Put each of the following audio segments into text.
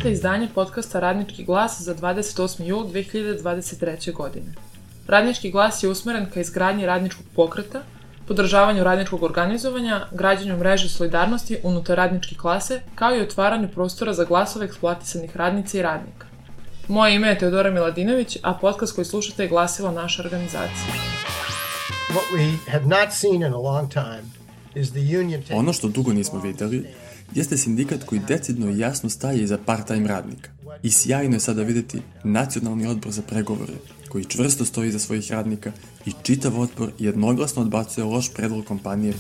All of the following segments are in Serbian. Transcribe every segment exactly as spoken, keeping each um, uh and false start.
Slušate izdanje podcasta Radnički glas za dvadeset osmi jul dve hiljade dvadeset treće. godine. Radnički glas je usmeren ka izgradnji radničkog pokreta, podržavanju radničkog organizovanja, građenju mreže solidarnosti unutar radničke klase, kao i otvaranju prostora za glasove eksploatisanih radnica i radnika. Moje ime je Teodora Miladinović, a podcast koji slušate je glasilo naše organizacije. Ono što dugo nismo vidjeli jeste sindikat koji decidno i jasno staje iza part-time radnika. I sjajno je sada vidjeti Nacionalni odbor za pregovore, koji čvrsto stoji iza svojih radnika i čitav otpor jednoglasno odbacuje loš predlog kompanije.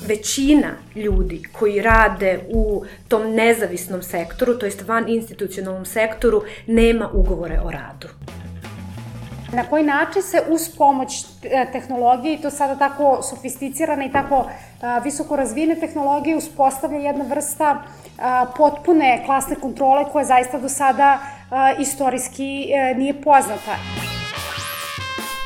Većina ljudi koji rade u tom nezavisnom sektoru, to jest van institucionalnom sektoru, nema ugovore o radu. Na koji način se uz pomoć tehnologije, i to sada tako sofisticirane i tako visoko razvijene tehnologije, uspostavlja jedna vrsta potpune klasne kontrole koja zaista do sada istorijski nije poznata.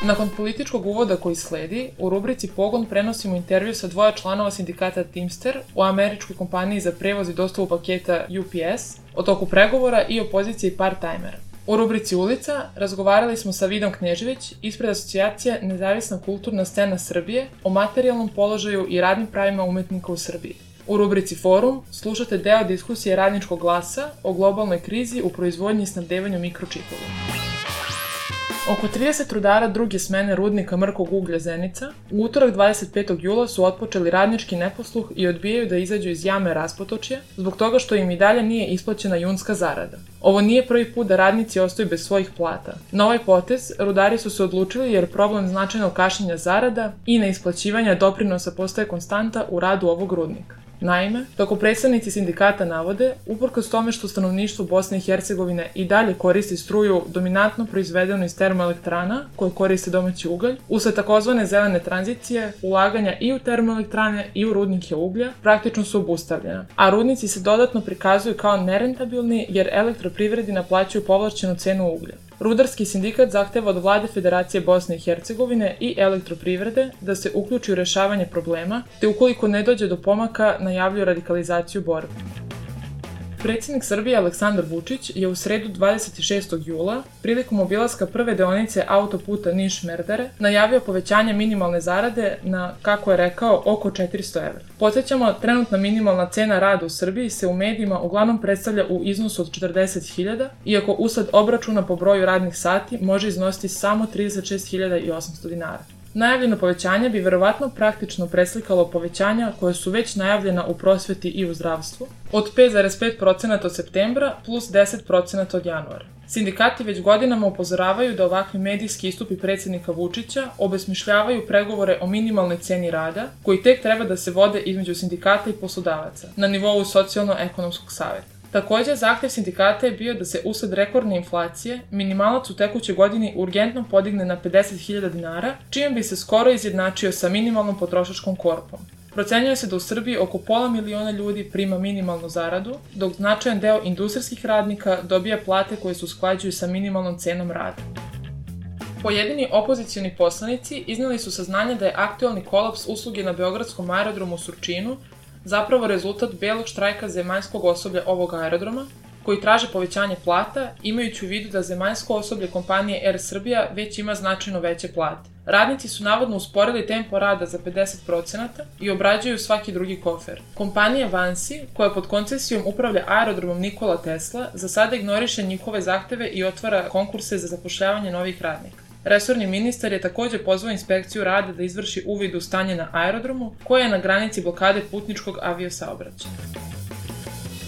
Nakon političkog uvoda koji sledi, u rubrici Pogon prenosimo intervju sa dvoja članova sindikata Teamster u američkoj kompaniji za prevoz i dostavu paketa U P S o toku pregovora i o poziciji part-timera. U rubrici Ulica razgovarali smo sa Vidom Knežević ispred asocijacije Nezavisna kulturna scena Srbije o materijalnom položaju i radnim pravima umetnika u Srbiji. U rubrici Forum slušate deo diskusije Radničkog glasa o globalnoj krizi u proizvodnji i snabdevanju mikročipova. Oko trideset rudara druge smene rudnika mrkog uglja Zenica u utorak dvadeset petog jula su otpočeli radnički neposluh i odbijaju da izađu iz jame Raspotočje zbog toga što im i dalje nije isplaćena junska zarada. Ovo nije prvi put da radnici ostaju bez svojih plata. Na ovaj potez rudari su se odlučili jer problem značajnog kašnjenja zarada i neisplaćivanja doprinosa postaje konstanta u radu ovog rudnika. Naime, kako predstavnici sindikata navode, uprkos tome što stanovništvo Bosne i Hercegovine i dalje koristi struju dominantno proizvedenu iz termoelektrana koje koriste domaći ugalj, usled takozvane zelene tranzicije, ulaganja i u termoelektrane i u rudnike uglja praktično su obustavljena, a rudnici se dodatno prikazuju kao nerentabilni jer elektroprivredi naplaćuju povlašćenu cenu uglja. Rudarski sindikat zahteva od vlade Federacije Bosne i Hercegovine i elektroprivrede da se uključi u rešavanje problema, te ukoliko ne dođe do pomaka najavljuju radikalizaciju borbe. Predsjednik Srbije Aleksandar Vučić je u sredu dvadeset šestog jula, prilikom obilaska prve deonice autoputa Niš-Merdare, najavio povećanje minimalne zarade na, kako je rekao, oko četiristo evra. Podsjećamo, trenutna minimalna cena rada u Srbiji se u medijima uglavnom predstavlja u iznosu od četrdeset hiljada, iako usled obračuna po broju radnih sati može iznositi samo trideset šest hiljada osamsto dinara. Najavljeno povećanje bi verovatno praktično preslikalo povećanja koja su već najavljena u prosveti i u zdravstvu, od pet zarez pet posto od septembra plus deset posto od januara. Sindikati već godinama upozoravaju da ovakvi medijski istupi predsjednika Vučića obesmišljavaju pregovore o minimalnoj ceni rada, koji tek treba da se vode između sindikata i poslodavaca, na nivou socijalno-ekonomskog saveta. Također, zahtjev sindikata je bio da se usled rekordne inflacije minimalac u tekućoj godini urgentno podigne na pedeset hiljada dinara, čime bi se skoro izjednačio sa minimalnom potrošačkom korpom. Procenjuje se da u Srbiji oko pola miliona ljudi prima minimalnu zaradu, dok značajan deo industrijskih radnika dobija plate koje se usklađuju sa minimalnom cenom rada. Pojedini opozicioni poslanici iznijeli su saznanje da je aktualni kolaps usluge na beogradskom aerodromu u Surčinu zapravo rezultat belog štrajka zemaljskog osoblja ovog aerodroma, koji traže povećanje plata, imajući u vidu da zemaljsko osoblje kompanije Air Srbija već ima značajno veće plate. Radnici su navodno usporili tempo rada za pedeset posto i obrađuju svaki drugi kofer. Kompanija Vansi, koja pod koncesijom upravlja aerodromom Nikola Tesla, za sada ignoriše njihove zahteve i otvara konkurse za zapošljavanje novih radnika. Resorni ministar je također pozvao inspekciju rada da izvrši uvid u stanje na aerodromu, koje je na granici blokade putničkog aviosaobraćaja.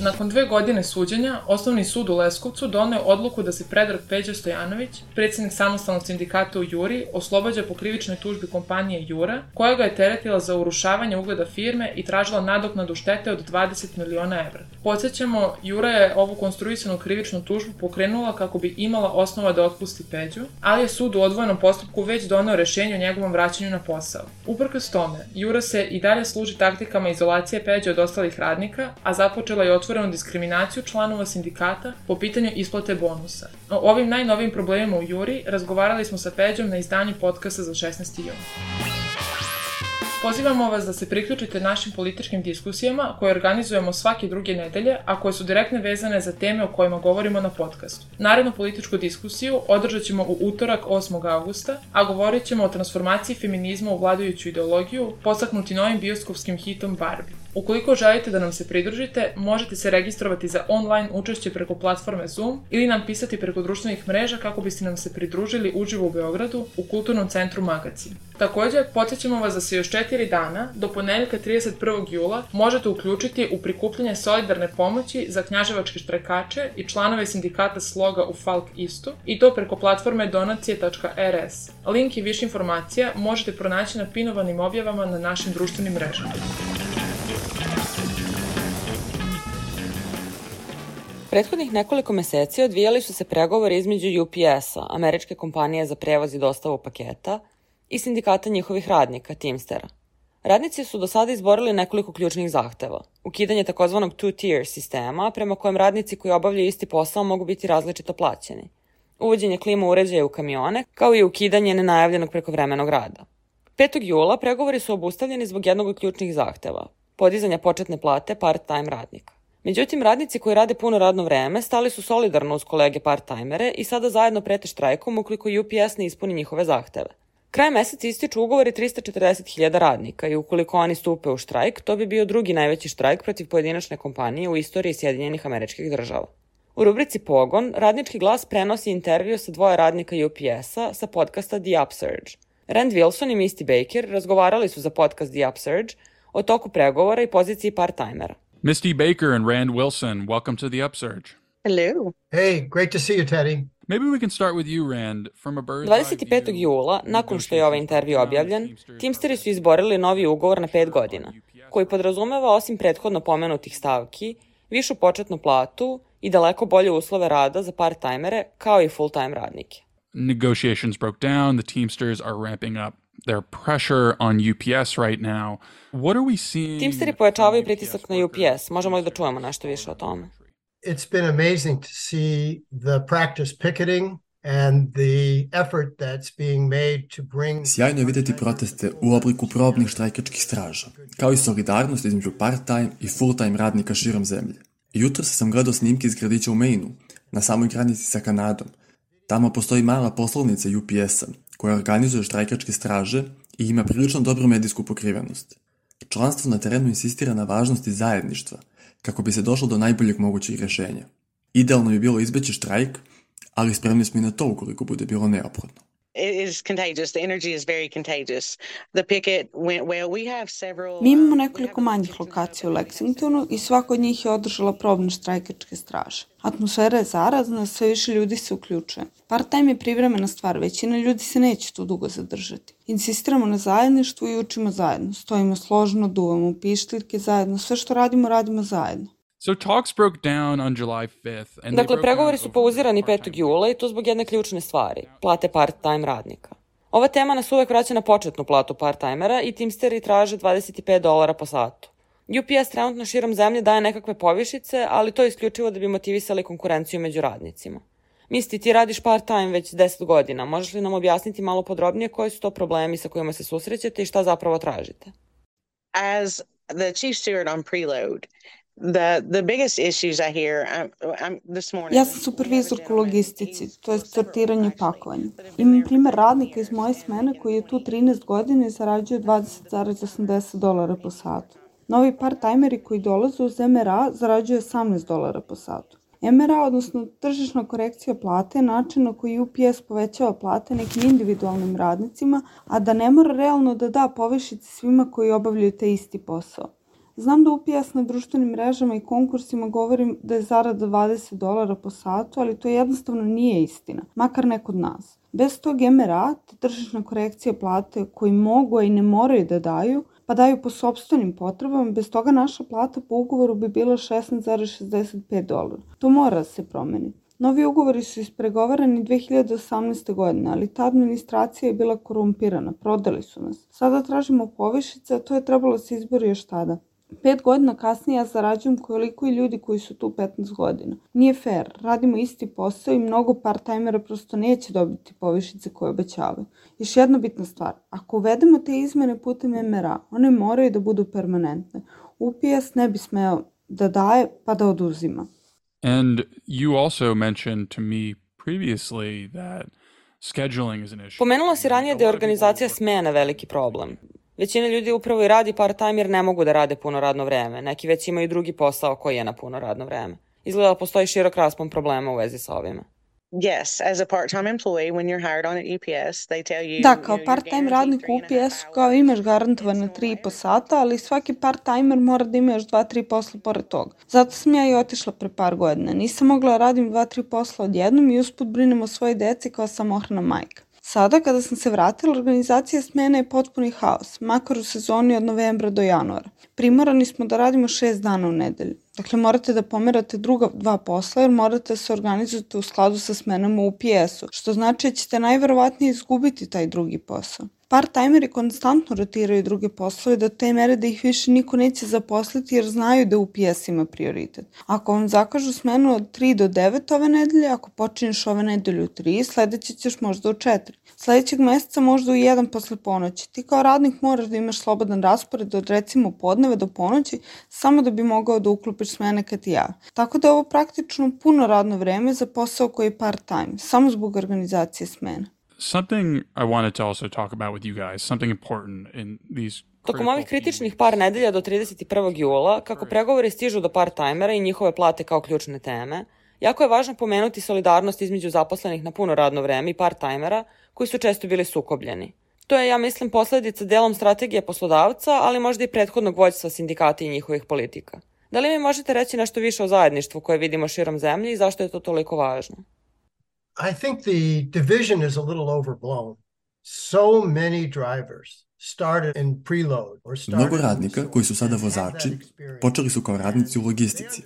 Nakon dve godine suđenja, Osnovni sud u Leskovcu doneo odluku da se Predrag Peđa Stojanović, predsjednik samostalnog sindikata u Juri, oslobađa po krivičnoj tužbi kompanije Jura, koja ga je teretila za urušavanje ugleda firme i tražila nadoknadu štete od dvadeset miliona evra. Podsjećamo, Jura je ovu konstruisanu krivičnu tužbu pokrenula kako bi imala osnova da otpusti Peđu, ali je sud u odvojenom postupku već doneo rješenje o njegovom vraćanju na posao. Uprkos tome, Jura se i dalje služi taktikama izolacije Peđe od ostalih radnika, a započela je otvorenu diskriminaciju članova sindikata po pitanju isplate bonusa. O ovim najnovijim problemima u Juri razgovarali smo sa Peđom na izdanju podcasta za šesnaesti jun. Pozivamo vas da se priključite našim političkim diskusijama koje organizujemo svake druge nedelje, a koje su direktno vezane za teme o kojima govorimo na podcastu. Narednu političku diskusiju održat ćemo u utorak osmog avgusta, a govorit ćemo o transformaciji feminizma u vladajuću ideologiju, podstaknuti novim bioskopskim hitom Barbie. Ukoliko želite da nam se pridružite, možete se registrovati za online učešće preko platforme Zoom ili nam pisati preko društvenih mreža kako biste nam se pridružili uživo u Beogradu u Kulturnom centru Magacin. Također, podsjećamo vas da se još četiri dana, do ponedeljka trideset prvog jula, možete uključiti u prikupljanje solidarne pomoći za knjaževačke štrajkače i članove sindikata Sloga u Falk Istu, i to preko platforme donacije tačka er es. Link i više informacija možete pronaći na pinovanim objavama na našim društvenim mrežama. Prethodnih nekoliko meseci odvijali su se pregovori između U P S-a, američke kompanije za prevoz i dostavu paketa, i sindikata njihovih radnika, Teamstera. Radnici su do sada izborili nekoliko ključnih zahteva. Ukidanje takozvanog two-tier sistema, prema kojem radnici koji obavljaju isti posao mogu biti različito plaćeni. Uvođenje klima uređaja u kamione, kao i ukidanje nenajavljenog prekovremenog rada. petog jula pregovori su obustavljeni zbog jednog od ključnih zahteva, podizanja početne plate part-time radnika. Međutim, radnici koji rade puno radno vreme stali su solidarno uz kolege part-timere i sada zajedno prete štrajkom ukoliko U P S ne ispuni njihove zahteve. Krajem meseca ističu ugovori tristo četrdeset hiljada radnika i ukoliko oni stupe u štrajk, to bi bio drugi najveći štrajk protiv pojedinačne kompanije u istoriji Sjedinjenih Američkih Država. U rubrici Pogon, Radnički glas prenosi intervju sa dvoje radnika U P S-a sa podcasta The Upsurge. Rand Wilson i Misty Baker razgovarali su za podcast The Upsurge o toku pregovora i poziciji part-timera. Misty Baker and Rand Wilson, welcome to The Upsurge. Hello. Hey, great to see you, Teddy. Maybe we can start with you, Rand, from a bird's dvadeset petog jula, nakon što je ovaj intervju objavljen, Teamsteri su izborili novi ugovor na pet godina, koji podrazumeva osim prethodno pomenutih stavki, višu početnu platu i daleko bolje uslove rada za part-timere kao i full-time radnike. Negotiations broke down, the Teamsters are ramping up their pressure on U P S right now. What are we seeing? Teamsteri pojačavaju pritisak na U P S. Možemo li da čujemo nešto više o tome? It's been amazing to see the practice picketing and the effort that's being made to bring... Sjajno je vidjeti proteste u obliku probnih štrajkačkih straža, kao i solidarnost između part-time i full-time radnika širom zemlje. Jutro sam gledao snimke iz gradića u Mainu, na samoj granici sa Kanadom. Tamo postoji mala poslovnica U P S-a, koja organizuje štrajkačke straže i ima prilično dobru medijsku pokrivenost. Članstvo na terenu insistira na važnosti zajedništva, kako bi se došlo do najboljeg mogućeg rješenja. Idealno bi bilo izbeći štrajk, ali spremni smo i na to ukoliko bude bilo neophodno. Mi imamo nekoliko manjih lokacija u Lexingtonu i svaka od njih je održala probne štrajkačke straže. Atmosfera je zarazna, sve više ljudi se uključuje. Part-time je privremena stvar, većina ljudi se neće tu dugo zadržati. Insistiramo na zajedništvu i učimo zajedno. Stojimo složno, duvamo pištaljke zajedno, sve što radimo, radimo zajedno. So talks broke down on July fifth. And dakle, pregovori su pauzirani petog jula i to zbog jedne ključne stvari, plate part-time radnika. Ova tema nas uvek vraća na početnu platu part-timera i Teamsteri traže dvadeset pet dolara po satu. U P S trenutno širom zemlje daje nekakve povišice, ali to je isključivo da bi motivisali konkurenciju među radnicima. Misli, ti radiš part-time već deset godina. Možeš li nam objasniti malo podrobnije koji su to problemi sa kojima se susrećete i šta zapravo tražite? As the chief steward on preload, The, the biggest issues I hear, I'm, I'm, this morning... Ja sam supervizorka u logistici, to je sortiranje pakovanja. Imam primer radnika iz moje smene koji je tu trinaest godina i zarađuje dvadeset zarez osamdeset dolara po satu. Novi part-timeri koji dolaze uz M R A zarađuje osamnaest dolara po satu. M R A, odnosno tržišna korekcija plate, je način na koji U P S povećava plate nekim individualnim radnicima, a da ne mora realno da da povišice svima koji obavljaju taj isti posao. Znam da U P S na društvenim mrežama i konkursima govorim da je zarada dvadeset dolara po satu, ali to jednostavno nije istina, makar ne kod nas. Bez tog M R A, te tržišna korekcija plate koji mogu, a i ne moraju da daju, pa daju po sopstvenim potrebama, bez toga naša plata po ugovoru bi bila šesnaest zarez šezdeset pet dolara. To mora da se promeni. Novi ugovori su ispregovarani dve hiljade osamnaeste. godine, ali ta administracija je bila korumpirana, prodali su nas. Sada tražimo povišice, a to je trebalo se izbori još tada. Pet godina kasnije ja zarađujem koliko i ljudi koji su tu petnaest godina. Nije fair, radimo isti posao i mnogo part-timera prosto neće dobiti povišice koje obećavaju. Još jedna bitna stvar, ako uvedemo te izmene putem em er a, one moraju da budu permanentne. U pe es ne bi smeo da daje pa da oduzima. And you also mentioned to me previously that scheduling is an issue. Pomenula si ranije da je organizacija smena veliki problem. Većina ljudi upravo i radi part-time jer ne mogu da rade puno radno vreme. Neki već imaju drugi posao koji je na puno radno vreme. Izgleda da postoji širok raspon problema u vezi sa ovime. Yes, as a part-time employee, when you're hired on at U P S, they tell you... Da, kao part-time radnik u U P S-u kao imaš garantovane tri i po sata, ali svaki part-timer mora da ima još dva, tri posla pored toga. Zato sam ja i otišla pre par godina. Nisam mogla da radim dva, tri posla odjednom i usput brinem o svojoj deci kao samohrana majka. Sada, kada sam se vratila, organizacija smena je potpuni haos, makar u sezoni od novembra do januara. Primorani smo da radimo šest dana u nedelju. Dakle, morate da pomerate druga dva posla jer morate da se organizujete u skladu sa smenama u pe es-u, što znači da ćete najverovatnije izgubiti taj drugi posao. Part-timeri konstantno rotiraju druge poslove do te mere da ih više niko neće zaposliti jer znaju da U P S ima prioritet. Ako vam zakažu smenu od tri do devet ove nedelje, ako počinješ ove nedelje u tri, sledeće ćeš možda u četiri. Sledećeg meseca možda u jedan posle ponoći. Ti kao radnik moraš da imaš slobodan raspored od recimo podneva do ponoći samo da bi mogao da uklopiš smene kad ti jave. Tako da je ovo praktično puno radno vreme za posao koji je part-time, samo zbog organizacije smena. Something I wanted to also talk about with you guys, something important in these Tokom ovih kritičnih par nedelja do trideset prvog jula, kako pregovori stižu do part-timera i njihove plate kao ključne teme, jako je važno pomenuti solidarnost između zaposlenih na puno radno vreme i part-timera, koji su često bili sukobljeni. To je, ja mislim, posledica delom strategije poslodavca, ali možda i prethodnog vođstva sindikata i njihovih politika. Da li mi možete reći nešto više o zajedništvu koje vidimo širom zemlje i zašto je to toliko važno? I think the division is a little overblown. So many drivers started in preload or started. Mnogo radnika koji su sada vozači počeli su kao radnici u logistici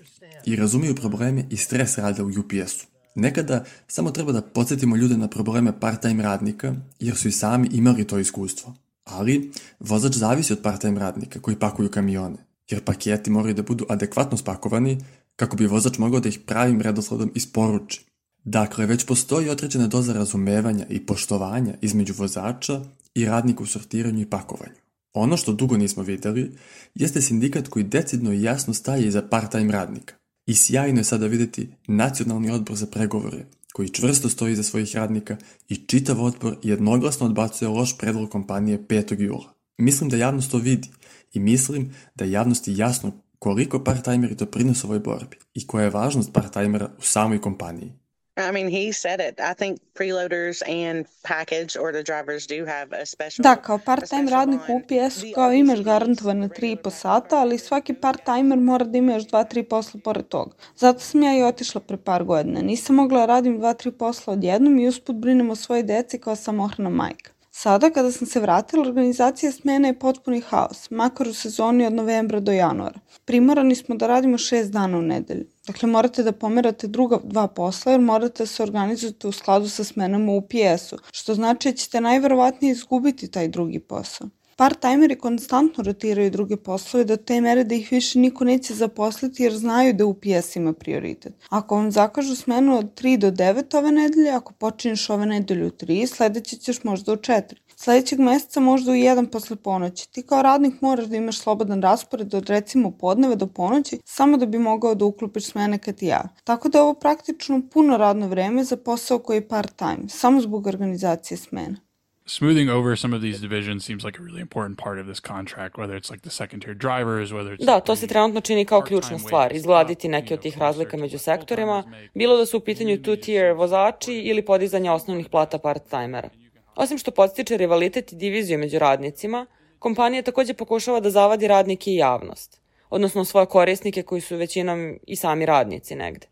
i razumiju probleme i stres rada u U P S-u. Nekada samo treba da podsjetimo ljude na probleme part-time radnika jer su i sami imali to iskustvo. Ali vozač zavisi od part-time radnika koji pakuju kamione jer paketi moraju da budu adekvatno spakovani kako bi vozač mogao da ih pravim redosledom isporuči. Dakle, već postoji određena doza razumevanja i poštovanja između vozača i radnika u sortiranju i pakovanju. Ono što dugo nismo videli jeste sindikat koji decidno i jasno staje iza part-time radnika. I sjajno je sada videti Nacionalni odbor za pregovore, koji čvrsto stoji iza svojih radnika i čitav odbor jednoglasno odbacuje loš predlog kompanije petog jula. Mislim da javnost to vidi i mislim da je javnosti jasno koliko part-timeri doprinose ovoj borbi i koja je važnost part-timera u samoj kompaniji. I mean, he said it. I think preloaders and package or the drivers do have a special... Da, kao part-time radnik u U P S-u kao imaš garantovane tri i po sata, ali svaki part-timer mora da ima još dva, tri posla pored toga. Zato sam ja i otišla pre par godina. Nisam mogla da radim dva, tri posla odjednom i usput brinem o svojoj deci kao samohrana majka. Sada, kada sam se vratila, organizacija smena je potpuni haos, makar u sezoni od novembra do januara. Primorani smo da radimo šest dana u nedelju. Dakle, morate da pomerate druga dva posla jer morate da se organizujete u skladu sa smenama u pe es-u, što znači da ćete najverovatnije izgubiti taj drugi posao. Part-timeri konstantno rotiraju druge poslove do te mere da ih više niko neće zaposliti jer znaju da U P S ima prioritet. Ako vam zakažu smenu od tri do devet ove nedelje, ako počinješ ove nedelje u tri, sledeće ćeš možda u četiri. Sledećeg meseca možda u jedan posle ponoći. Ti kao radnik moraš da imaš slobodan raspored od recimo podneva do ponoći samo da bi mogao da uklopiš smene kad ti jave. Tako da je ovo praktično puno radno vreme za posao koji je part-time, samo zbog organizacije smena. Smoothing over some of these divisions seems like a really important part of this contract, whether it's like the second tier drivers, whether it's... Da, to se trenutno čini kao ključna stvar, izgladiti neke od tih razlika među sektorima, bilo da su u pitanju two tier vozači ili podizanje osnovnih plata part-timera. Osim što podstiče rivalitet i diviziju među radnicima, kompanija takođe pokušava da zavadi radnike i javnost, odnosno svoje korisnike koji su većinom i sami radnici negde.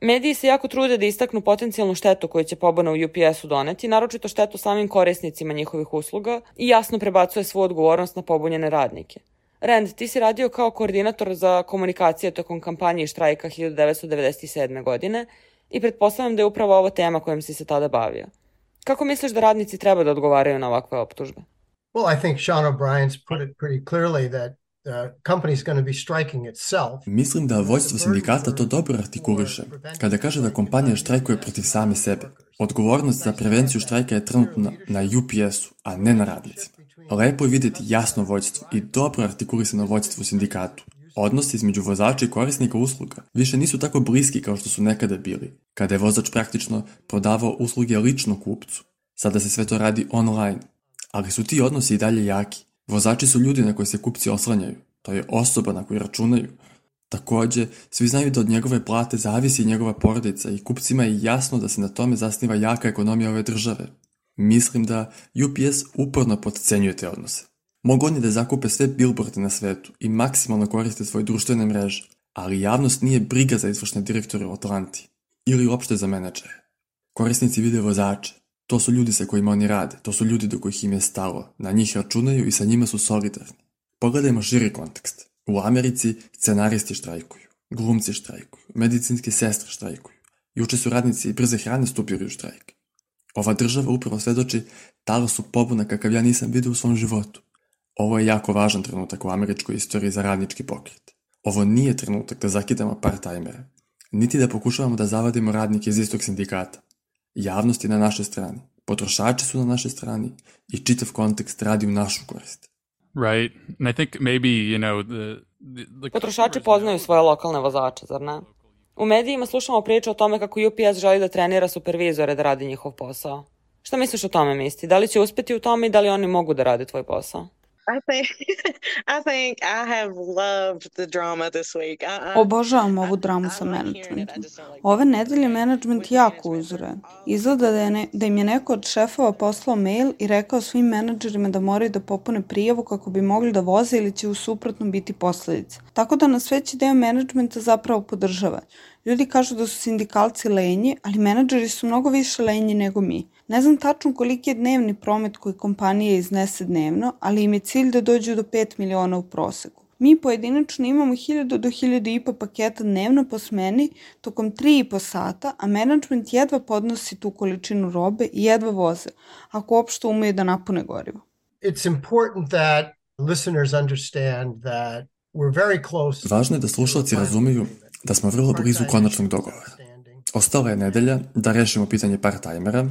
Mediji se jako trude da istaknu potencijalnu štetu koju će pobuna u U P S-u doneti, naročito štetu samim korisnicima njihovih usluga i jasno prebacuje svu odgovornost na pobunjene radnike. Rand, ti si radio kao koordinator za komunikacije tokom kampanje i štrajka hiljadu devetsto devedeset sedme. godine i pretpostavljam da je upravo ovo tema kojom si se tada bavio. Kako misliš da radnici treba da odgovaraju na ovakve optužbe? Well, I think Sean O'Brien's put it pretty clearly that the company's going to be striking itself. Mislim da vođstvo sindikata to dobro artikuliše kada kaže da kompanija štrajkuje protiv same sebe. Odgovornost za prevenciju štrajka je trenutno na U P S-u, a ne na radnicima. Lepo je vidjeti jasno vođstvo i dobro artikulisano vođstvo u sindikatu. Odnosi između vozača i korisnika usluga više nisu tako bliski kao što su nekada bili, kada je vozač praktično prodavao usluge lično kupcu. Sada se sve to radi online, ali su ti odnosi i dalje jaki. Vozači su ljudi na koje se kupci oslanjaju, to je osoba na koju računaju. Takođe, svi znaju da od njegove plate zavisi njegova porodica i kupcima je jasno da se na tome zasniva jaka ekonomija ove države. Mislim da U P S uporno potcenjuje te odnose. Mogu oni da zakupe sve billboarde na svetu i maksimalno koriste svoje društvene mreže, ali javnost nije briga za izvršne direktore u Atlanti ili uopšte za menadžere. Korisnici vide vozače. To su ljudi sa kojima oni rade, to su ljudi do kojih im je stalo, na njih računaju i sa njima su solidarni. Pogledajmo širi kontekst. U Americi scenaristi štrajkuju, glumci štrajkuju, medicinske sestre štrajkuju. Juče su radnici brze hrane stupili u štrajk. Ova država upravo svedoči talasu pobuna kakav ja nisam vidio u svom životu. Ovo je jako važan trenutak u američkoj istoriji za radnički pokret. Ovo nije trenutak da zakidamo part-timere, niti da pokušavamo da zavadimo radnike iz istog sindikata. Javnost je na našoj strani, potrošači su na našoj strani i čitav kontekst radi u našu korist. Right. And I think maybe, you know, the, the, the Potrošači poznaju svoje lokalne vozače, zar ne? U medijima slušamo priče o tome kako U P S želi da trenira supervizore da radi njihov posao. Šta misliš o tome, Misty? Da li će uspeti u tome i da li oni mogu da rade tvoj posao? I think I think I have loved the drama this week. I, I, Obožavam ovu dramu sa menadžmentom. Ove nedelje menadžment jako uzore. Izgleda da, je ne, da im je neko od šefova poslao mail i rekao svim menadžerima da moraju da popune prijavu kako bi mogli da voze ili će u suprotnom biti posledice. Tako da nas veći deo menadžmenta zapravo podržava. Ljudi kažu da su sindikalci lenji, ali menadžeri su mnogo više lenji nego mi. Ne znam tačno koliki je dnevni promet koji kompanija iznese dnevno, ali im je cilj da dođu do pet miliona u proseku. Mi pojedinačno imamo hiljadu do hiljadu i po paketa dnevno po smeni tokom tri i po sata, a menadžment jedva podnosi tu količinu robe i jedva voze, ako uopšte umeju da napune gorivo. It's important that listeners understand that we're very close. Važno je da slušalci razumeju da smo vrlo blizu konačnog dogovora. Ostala je nedelja da rešimo pitanje part-timera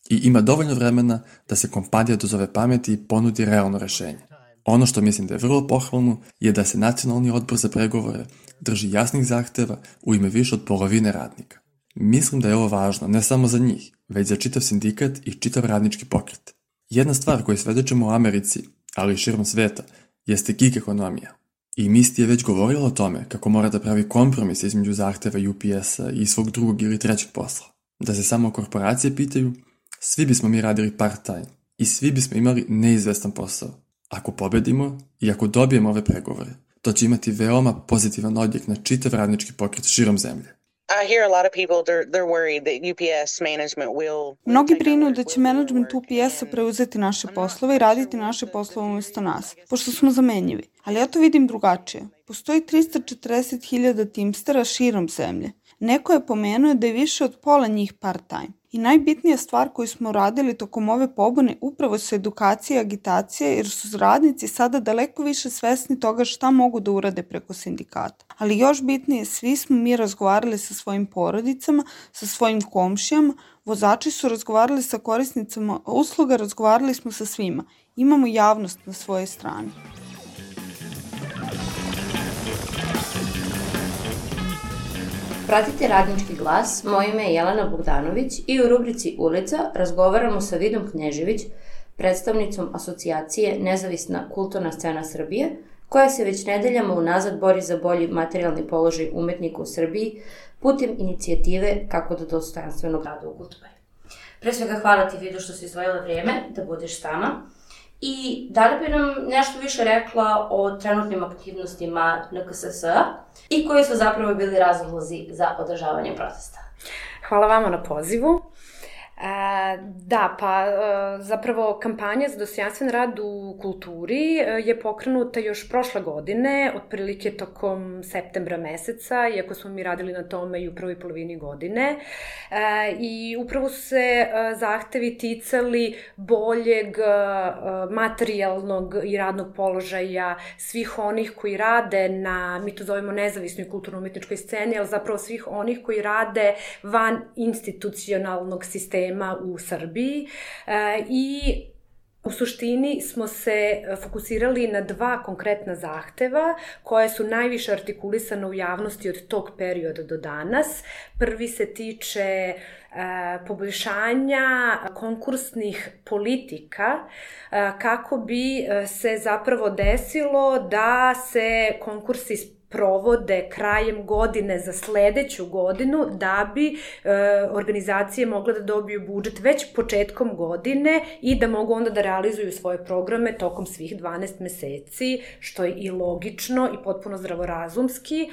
i ima dovoljno vremena da se kompanija dozove pameti i ponudi realno rešenje. Ono što mislim da je vrlo pohvalno je da se Nacionalni odbor za pregovore drži jasnih zahteva u ime više od polovine radnika. Mislim da je ovo važno ne samo za njih, već za čitav sindikat i čitav radnički pokret. Jedna stvar koju svedočimo u Americi, ali i širom sveta, jeste gig ekonomija. I Misty je već govorila o tome kako mora da pravi kompromis između zahteva U P S-a i svog drugog ili trećeg posla. Da se samo korporacije pitaju, svi bismo mi radili part-time i svi bismo imali neizvestan posao. Ako pobedimo i ako dobijemo ove pregovore, to će imati veoma pozitivan odjek na čitav radnički pokret širom zemlje. I hear a lot of people they're they're worried that U P S management will Mnogi brinu da će menadžment U P S-a preuzeti naše poslove i raditi naše poslove umjesto nas, pošto smo zamenjivi. Ali ja to vidim drugačije. Postoji tristo četrdeset hiljada Teamstera širom zemlje. Neko je pomenuo da je više od pola njih part-time. I najbitnija stvar koju smo radili tokom ove pobune upravo su edukacija i agitacija, jer su radnici sada daleko više svesni toga šta mogu da urade preko sindikata. Ali još bitnije, svi smo mi razgovarali sa svojim porodicama, sa svojim komšijama, vozači su razgovarali sa korisnicama usluga, razgovarali smo sa svima. Imamo javnost na svojoj strani. Pratite Radnički glas, moje ime je Jelena Bogdanović i u rubrici Ulica razgovaramo sa Vidom Knježević, predstavnicom asocijacije Nezavisna kulturna scena Srbije, koja se već nedeljama unazad bori za bolji materijalni položaj umetnika u Srbiji putem inicijative Kako da dostojanstveno rada u kulturi. Pre svega hvala ti, Vido, što si izdvojila vrijeme da budeš s nama. I da li bi nam nešto više rekla o trenutnim aktivnostima N K S S-a i koji su zapravo bili razlozi za održavanje protesta? Hvala vama na pozivu. Da, pa zapravo kampanja za dostojanstven rad u kulturi je pokrenuta još prošle godine, otprilike tokom septembra meseca, iako smo mi radili na tome i u prvoj polovini godine. I upravo su se zahtevi ticali boljeg materijalnog i radnog položaja svih onih koji rade na, mi to zovemo nezavisnoj kulturno-umetničkoj sceni, ali zapravo svih onih koji rade van institucionalnog sistema u Srbiji i u suštini smo se fokusirali na dva konkretna zahteva koje su najviše artikulisane u javnosti od tog perioda do danas. Prvi se tiče poboljšanja konkursnih politika kako bi se zapravo desilo da se konkursi provode krajem godine za sledeću godinu da bi e, organizacije mogle da dobiju budžet već početkom godine i da mogu onda da realizuju svoje programe tokom svih dvanaest meseci, što je i logično i potpuno zdravorazumski.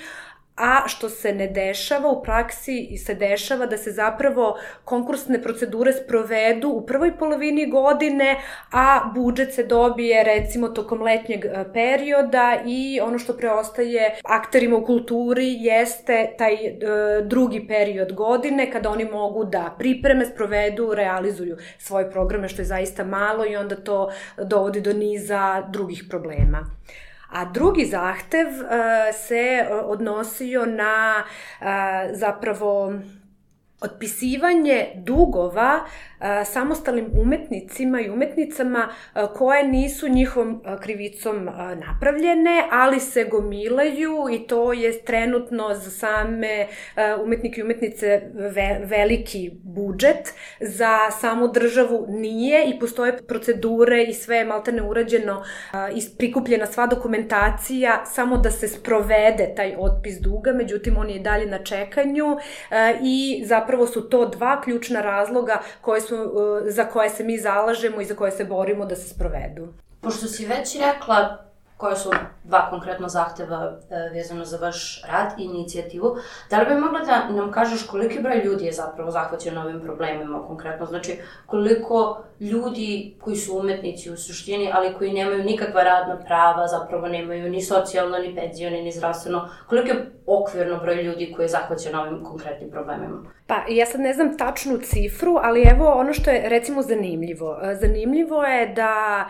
A što se ne dešava, u praksi se dešava da se zapravo konkursne procedure sprovedu u prvoj polovini godine, a budžet se dobije recimo tokom letnjeg perioda i ono što preostaje akterima u kulturi jeste taj e, drugi period godine kada oni mogu da pripreme, sprovedu, realizuju svoje programe, što je zaista malo i onda to dovodi do niza drugih problema. A drugi zahtev uh, se odnosio na uh, zapravo otpisivanje dugova uh, samostalnim umetnicima i umetnicama uh, koje nisu njihovom uh, krivicom uh, napravljene, ali se gomilaju i to je trenutno za same uh, umetnike i umetnice ve veliki budžet, za samu državu nije i postoje procedure i sve je maltene urađeno, uh, prikupljena sva dokumentacija samo da se sprovede taj otpis duga, međutim on je i dalje na čekanju uh, i zapravo Zapravo su to dva ključna razloga koje su, za koje se mi zalažemo i za koje se borimo da se sprovedu. Pošto si već rekla koje su dva konkretno zahteva vezano za vaš rad i inicijativu, da li bi mogla da nam kažeš koliki broj ljudi je zapravo zahvaćen ovim problemima konkretno? Znači, koliko ljudi koji su umetnici u suštini, ali koji nemaju nikakva radna prava, zapravo nemaju ni socijalno, ni penzijone, ni zdravstveno, koliko je okvirno broj ljudi koji je zahvaćen ovim konkretnim problemima? Pa, ja sad ne znam tačnu cifru, ali evo ono što je recimo zanimljivo. Zanimljivo je da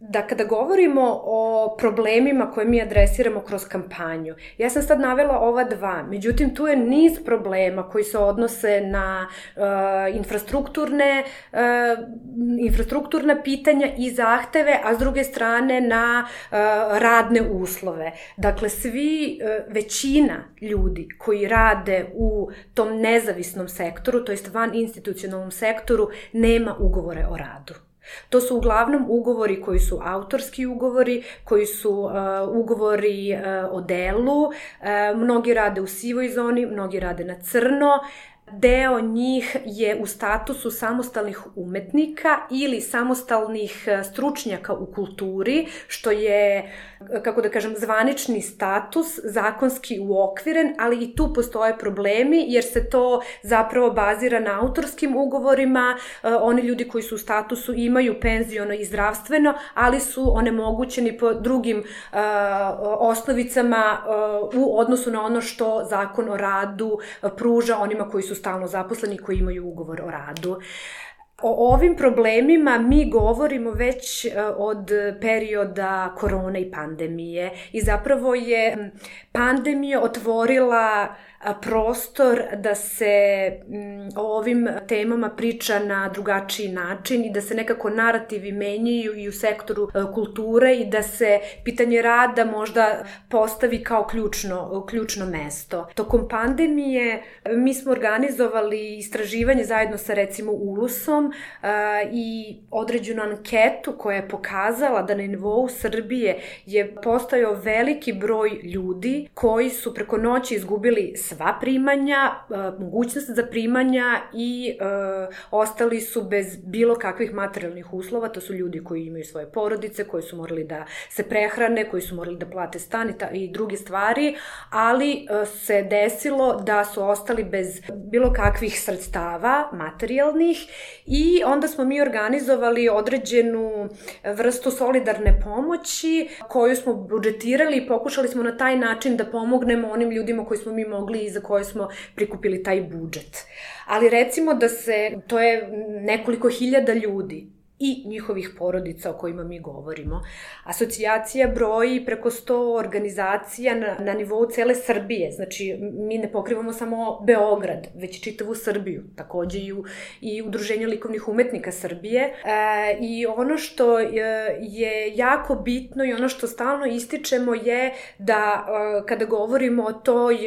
da kada govorimo o problemima koje mi adresiramo kroz kampanju, ja sam sad navela ova dva, međutim tu je niz problema koji se odnose na uh, infrastrukturne, uh, infrastrukturna pitanja i zahteve, a s druge strane na uh, radne uslove. Dakle, svi, uh, većina ljudi koji rade u tom nezavisnom sektoru, to jest van institucionalnom sektoru, nema ugovore o radu. To su uglavnom ugovori koji su autorski ugovori, koji su uh, ugovori uh, o delu, uh, mnogi rade u sivoj zoni, mnogi rade na crno. Deo njih je u statusu samostalnih umetnika ili samostalnih stručnjaka u kulturi, što je, kako da kažem, zvanični status, zakonski uokviren, ali i tu postoje problemi jer se to zapravo bazira na autorskim ugovorima. Oni ljudi koji su u statusu imaju penziono i zdravstveno, ali su onemogućeni po drugim uh, osnovicama uh, u odnosu na ono što Zakon o radu uh, pruža onima koji su stalno zaposleni, koji imaju ugovor o radu. O ovim problemima mi govorimo već od perioda korone i pandemije i zapravo je pandemija otvorila prostor da se o ovim temama priča na drugačiji način i da se nekako narativi menjaju i u sektoru kulture i da se pitanje rada možda postavi kao ključno, ključno mesto. Tokom pandemije mi smo organizovali istraživanje zajedno sa recimo Ulusom i određenu anketu koja je pokazala da na nivou Srbije je postojao veliki broj ljudi koji su preko noći izgubili sva primanja, mogućnost za primanja i ostali su bez bilo kakvih materijalnih uslova. To su ljudi koji imaju svoje porodice, koji su morali da se prehrane, koji su morali da plate stan i, ta, i druge stvari, ali se desilo da su ostali bez bilo kakvih sredstava materijalnih i onda smo mi organizovali određenu vrstu solidarne pomoći koju smo budžetirali i pokušali smo na taj način da pomognemo onim ljudima koji smo mi mogli i za koje smo prikupili taj budžet. Ali recimo da se, to je nekoliko hiljada ljudi i njihovih porodica o kojima mi govorimo. Asocijacija broji preko sto organizacija na, na nivou cele Srbije. Znači, mi ne pokrivamo samo Beograd, već čitavu Srbiju. Takođe i, u, i Udruženje likovnih umetnika Srbije. E, I ono što je jako bitno i ono što stalno ističemo je da kada govorimo o toj,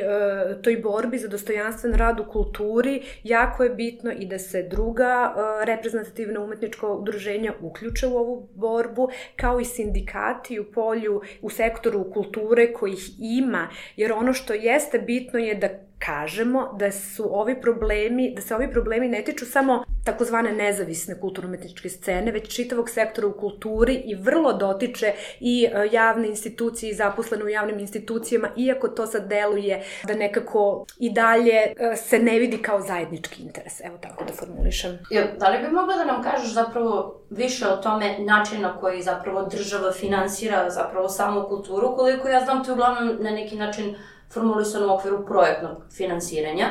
toj borbi za dostojanstven rad u kulturi, jako je bitno i da se druga reprezentativna umetnička udruženja uključe u ovu borbu, kao i sindikati u polju, u sektoru kulture kojih ima, jer ono što jeste bitno je da kažemo da su ovi problemi, da se ovi problemi ne tiču samo takozvane nezavisne kulturno-umetničke scene, već čitavog sektora u kulturi i vrlo dotiče i javne institucije i zaposlene u javnim institucijama, iako to sad deluje da nekako i dalje se ne vidi kao zajednički interes. Evo tako da formulišem. Da li bi mogla da nam kažeš zapravo više o tome način na koji zapravo država finansira zapravo samu kulturu, koliko ja znam to je uglavnom na neki način formulisano u okviru projektnog finansiranja.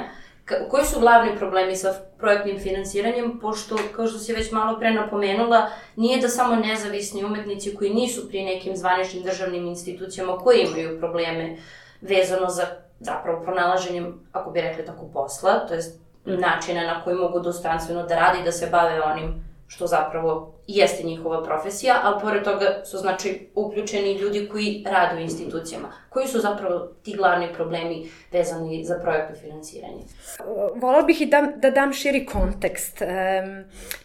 K- koji su glavni problemi sa projektnim finansiranjem, pošto, kao što si već malo pre napomenula, nije da samo nezavisni umetnici koji nisu pri nekim zvaničnim državnim institucijama koji imaju probleme vezano za zapravo pronalaženjem, ako bi rekli tako, posla, to je načina na koji mogu dostojanstveno da radi i da se bave onim što zapravo jeste njihova profesija, ali pored toga su znači uključeni ljudi koji rade u institucijama. Koji su zapravo ti glavni problemi vezani za projektno finansiranje? Volala bih i da, da dam širi kontekst.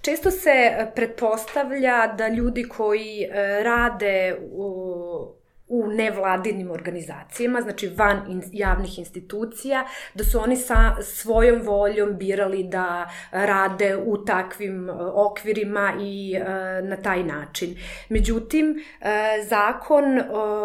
Često se pretpostavlja da ljudi koji rade u u nevladinim organizacijama, znači van in, javnih institucija, da su oni sa svojom voljom birali da rade u takvim okvirima i e, na taj način. Međutim, e, zakon e,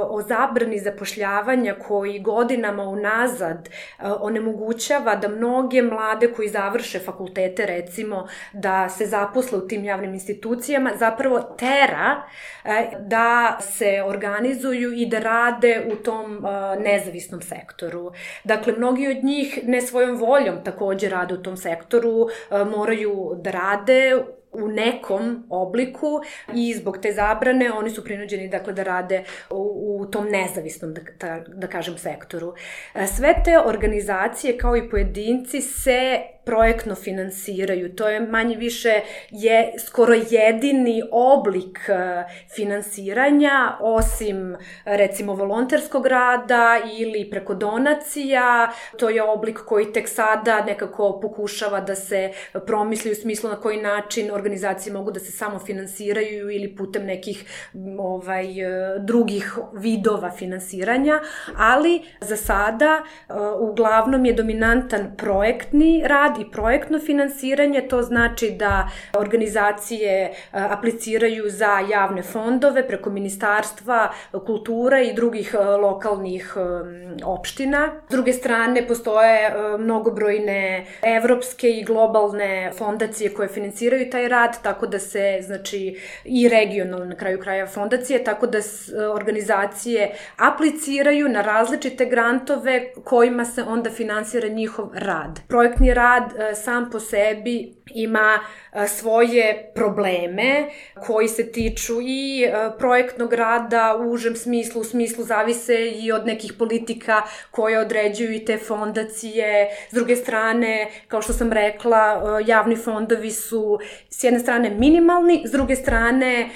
o zabrani zapošljavanja koji godinama unazad e, onemogućava da mnoge mlade koji završe fakultete, recimo, da se zaposle u tim javnim institucijama, zapravo tera e, da se organizuju i da rade u tom uh, nezavisnom sektoru. Dakle, mnogi od njih ne svojom voljom takođe rade u tom sektoru, uh, moraju da rade u nekom obliku i zbog te zabrane oni su prinuđeni dakle da rade u, u tom nezavisnom da, da, da kažem sektoru. Sve te organizacije kao i pojedinci se projektno finansiraju. To je manje više je skoro jedini oblik finansiranja, osim recimo volonterskog rada ili preko donacija. To je oblik koji tek sada nekako pokušava da se promisli u smislu na koji način organizacije mogu da se samo finansiraju ili putem nekih ovaj, drugih vidova finansiranja, ali za sada uglavnom je dominantan projektni rad i projektno finansiranje. To znači da organizacije apliciraju za javne fondove preko Ministarstva kulture i drugih lokalnih opština. S druge strane, postoje mnogobrojne evropske i globalne fondacije koje finansiraju taj rad, tako da se, znači, i regionalne na kraju kraja fondacije, tako da organizacije apliciraju na različite grantove kojima se onda finansira njihov rad. Projektni rad sam po sebi ima svoje probleme koji se tiču i projektnog rada u užem smislu, u smislu zavise i od nekih politika koje određuju i te fondacije. S druge strane, kao što sam rekla, javni fondovi su s jedne strane minimalni, s druge strane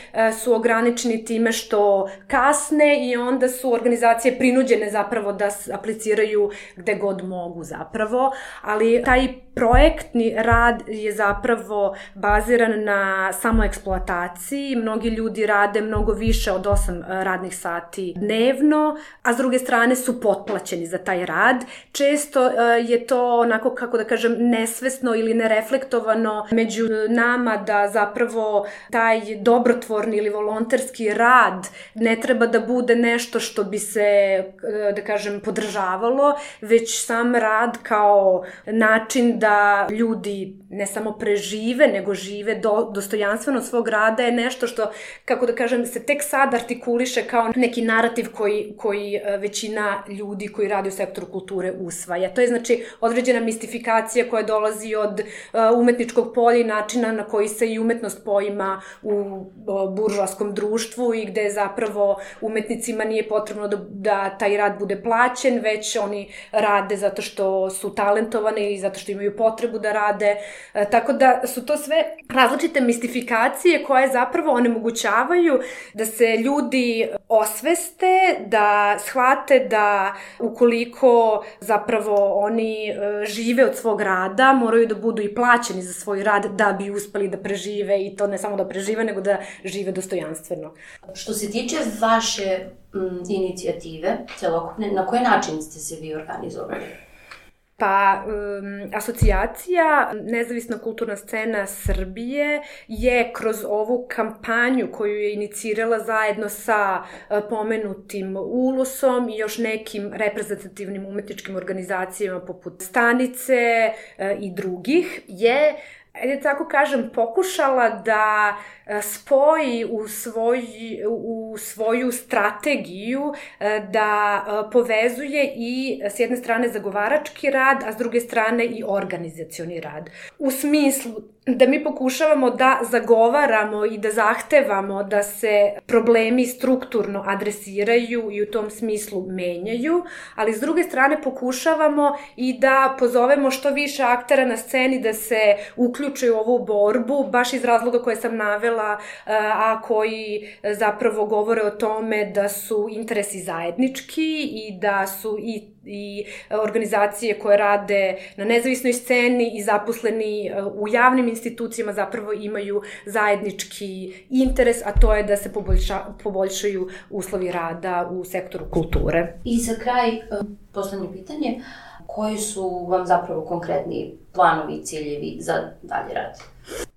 su ograničeni time što kasne i onda su organizacije prinuđene zapravo da apliciraju gde god mogu zapravo, ali taj projektni rad je zapravo baziran na samoeksploataciji. Mnogi ljudi rade mnogo više od osam radnih sati dnevno, a s druge strane su potplaćeni za taj rad. Često je to onako, kako da kažem, nesvesno ili nereflektovano među nama da zapravo taj dobrotvorni ili volonterski rad ne treba da bude nešto što bi se, da kažem, podržavalo, već sam rad kao način da ljudi ne samo prežive, nego žive do, dostojanstveno svog rada je nešto što, kako da kažem, se tek sad artikuliše kao neki narativ koji, koji većina ljudi koji radi u sektoru kulture usvaja. To je znači određena mistifikacija koja dolazi od umetničkog polja i načina na koji se i umetnost poima u buržoaskom društvu i gde zapravo umetnicima nije potrebno da, da taj rad bude plaćen, već oni rade zato što su talentovani i zato što imaju potrebu da rade. E, tako da su to sve različite mistifikacije koje zapravo onemogućavaju da se ljudi osveste, da shvate da ukoliko zapravo oni e, žive od svog rada, moraju da budu i plaćeni za svoj rad da bi uspeli da prežive i to ne samo da prežive, nego da žive dostojanstveno. Što se tiče vaše m, inicijative celokupne, na koji način ste se vi organizovali? Pa, um, asocijacija Nezavisna kulturna scena Srbije je kroz ovu kampanju koju je inicirala zajedno sa uh, pomenutim Ulusom i još nekim reprezentativnim umetničkim organizacijama poput Stanice uh, i drugih, je, ajde tako kažem, pokušala da spoji u, svoj, u svoju strategiju, da povezuje i s jedne strane zagovarački rad, a s druge strane i organizacioni rad. U smislu da mi pokušavamo da zagovaramo i da zahtevamo da se problemi strukturno adresiraju i u tom smislu menjaju, ali s druge strane pokušavamo i da pozovemo što više aktera na sceni da se uključe u ovu borbu, baš iz razloga koje sam navela, a koji zapravo govore o tome da su interesi zajednički i da su i i organizacije koje rade na nezavisnoj sceni i zaposleni u javnim institucijama zapravo imaju zajednički interes, a to je da se poboljša, poboljšaju uslovi rada u sektoru kulture. I za kraj, poslednje pitanje, koji su vam zapravo konkretni planovi i ciljevi za dalje rad?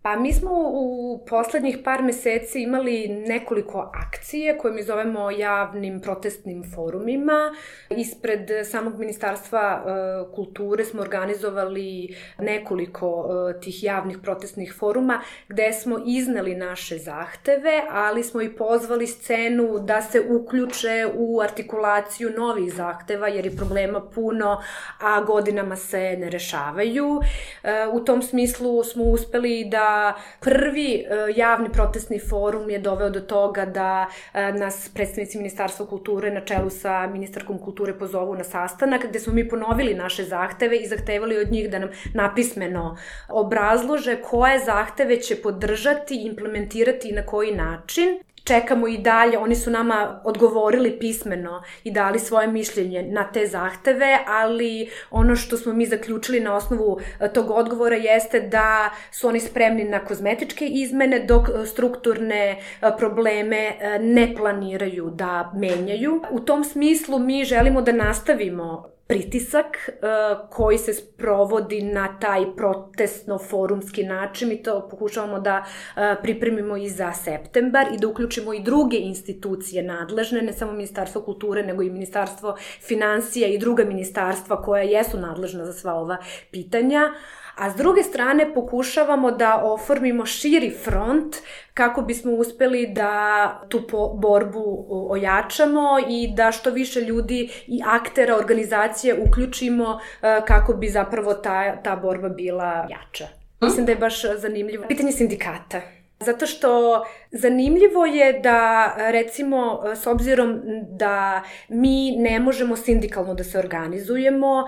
Pa mi smo u poslednjih par meseci imali nekoliko akcije koje mi zovemo javnim protestnim forumima. Ispred samog Ministarstva e, kulture smo organizovali nekoliko e, tih javnih protestnih foruma gde smo izneli naše zahteve, ali smo i pozvali scenu da se uključe u artikulaciju novih zahteva jer je problema puno, a godinama se ne rešavaju. E, u tom smislu smo uspeli da prvi javni protestni forum je doveo do toga da nas predstavnici Ministarstva kulture na čelu sa ministarkom kulture pozovu na sastanak gde smo mi ponovili naše zahteve i zahtevali od njih da nam napismeno obrazlože koje zahteve će podržati, implementirati i na koji način. Čekamo i dalje, oni su nama odgovorili pismeno i dali svoje mišljenje na te zahteve, ali ono što smo mi zaključili na osnovu tog odgovora jeste da su oni spremni na kozmetičke izmene, dok strukturne probleme ne planiraju da menjaju. U tom smislu mi želimo da nastavimo pritisak uh, koji se sprovodi na taj protestno-forumski način i to pokušavamo da uh, pripremimo i za septembar i da uključimo i druge institucije nadležne, ne samo Ministarstvo kulture, nego i Ministarstvo finansija i druga ministarstva koja jesu nadležna za sva ova pitanja. A s druge strane pokušavamo da oformimo širi front kako bismo uspeli da tu borbu ojačamo i da što više ljudi i aktera organizacije uključimo kako bi zapravo ta, ta borba bila jača. Mislim da je baš zanimljivo. Pitanje sindikata. Zato što zanimljivo je da, recimo, s obzirom da mi ne možemo sindikalno da se organizujemo,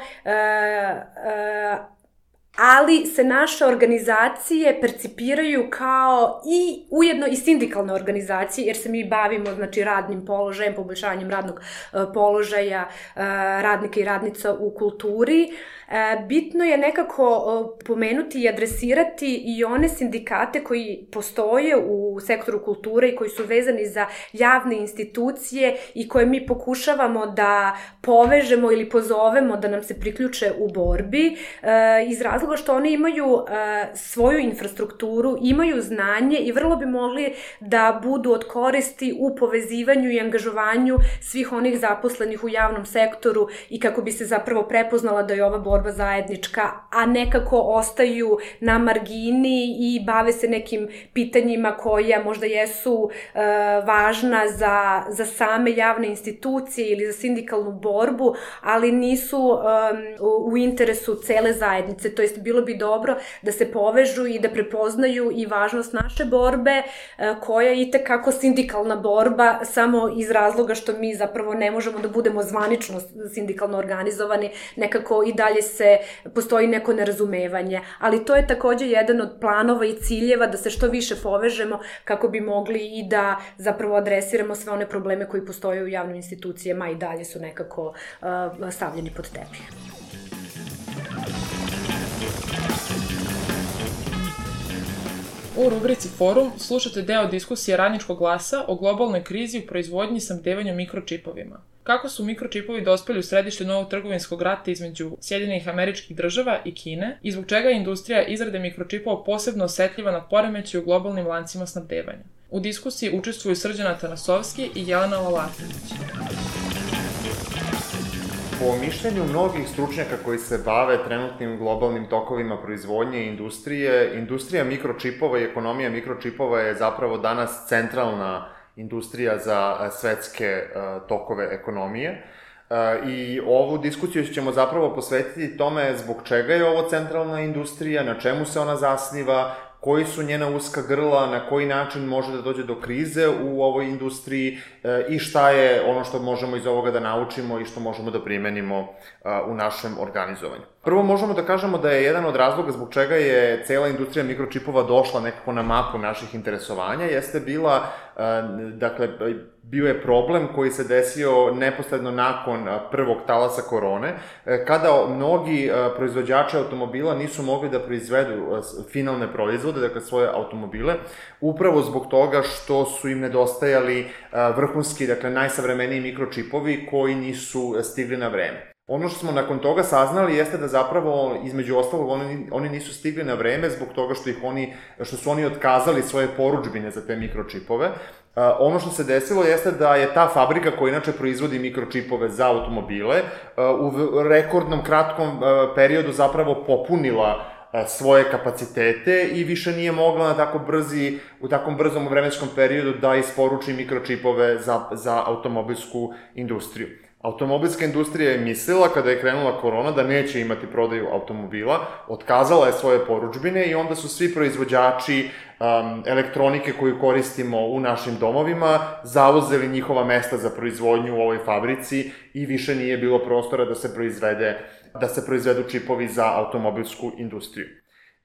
ali se naše organizacije percipiraju kao i ujedno i sindikalne organizacije, jer se mi bavimo, znači, radnim položajem, poboljšanjem radnog položaja radnika i radnica u kulturi. Bitno je nekako pomenuti i adresirati i one sindikate koji postoje u sektoru kulture i koji su vezani za javne institucije i koje mi pokušavamo da povežemo ili pozovemo da nam se priključe u borbi, iz razloga što oni imaju svoju infrastrukturu, imaju znanje i vrlo bi mogli da budu od koristi u povezivanju i angažovanju svih onih zaposlenih u javnom sektoru i kako bi se zapravo prepoznala da je ova borba zajednička, a nekako ostaju na margini i bave se nekim pitanjima koja možda jesu e, važna za, za same javne institucije ili za sindikalnu borbu, ali nisu e, u interesu cele zajednice. To jest, bilo bi dobro da se povežu i da prepoznaju i važnost naše borbe, e, koja je itekako sindikalna borba, samo iz razloga što mi zapravo ne možemo da budemo zvanično sindikalno organizovani, nekako i dalje se postoji neko nerazumevanje, ali to je takođe jedan od planova i ciljeva da se što više povežemo kako bi mogli i da zapravo adresiramo sve one probleme koji postoje u javnim institucijama i dalje su nekako uh, stavljeni pod tepih. U rubrici Forum slušate deo diskusije Radničkog glasa o globalnoj krizi u proizvodnji i snabdevanju mikročipovima. Kako su mikročipovi dospeli u središte novog trgovinskog rata između Sjedinjenih Američkih Država i Kine i zbog čega je industrija izrade mikročipova posebno osetljiva na poremećaj u globalnim lancima snabdevanja. U diskusiji učestvuju Srđan Atanasovski i Jelena Lalatović. Po mišljenju mnogih stručnjaka koji se bave trenutnim globalnim tokovima proizvodnje i industrije, industrija mikročipova i ekonomija mikročipova je zapravo danas centralna industrija za svetske tokove ekonomije. I ovu diskusiju ćemo zapravo posvetiti tome zbog čega je ovo centralna industrija, na čemu se ona zasniva, koji su njena uska grla, na koji način može da dođe do krize u ovoj industriji i šta je ono što možemo iz ovoga da naučimo i što možemo da primenimo u našem organizovanju. Prvo možemo da kažemo da je jedan od razloga zbog čega je cela industrija mikročipova došla nekako na mapu naših interesovanja, jeste bila, dakle, bio je problem koji se desio neposredno nakon prvog talasa korone, kada mnogi proizvođači automobila nisu mogli da proizvedu finalne proizvode, dakle svoje automobile, upravo zbog toga što su im nedostajali vrhunski, dakle najsavremeniji mikročipovi koji nisu stigli na vreme. Ono što smo nakon toga saznali jeste da zapravo, između ostalog, oni, oni nisu stigli na vreme zbog toga što, ih oni, što su oni otkazali svoje porudžbine za te mikročipove. Uh, ono što se desilo jeste da je ta fabrika koja inače proizvodi mikročipove za automobile uh, u rekordnom kratkom uh, periodu zapravo popunila uh, svoje kapacitete i više nije mogla na tako brzi, u takvom brzom vremenskom periodu da isporuči mikročipove za, za automobilsku industriju. Automobilska industrija je mislila, kada je krenula korona, da neće imati prodaju automobila, otkazala je svoje porudžbine i onda su svi proizvođači um, elektronike koju koristimo u našim domovima zauzeli njihova mesta za proizvodnju u ovoj fabrici i više nije bilo prostora da se proizvede, da se proizvedu čipovi za automobilsku industriju.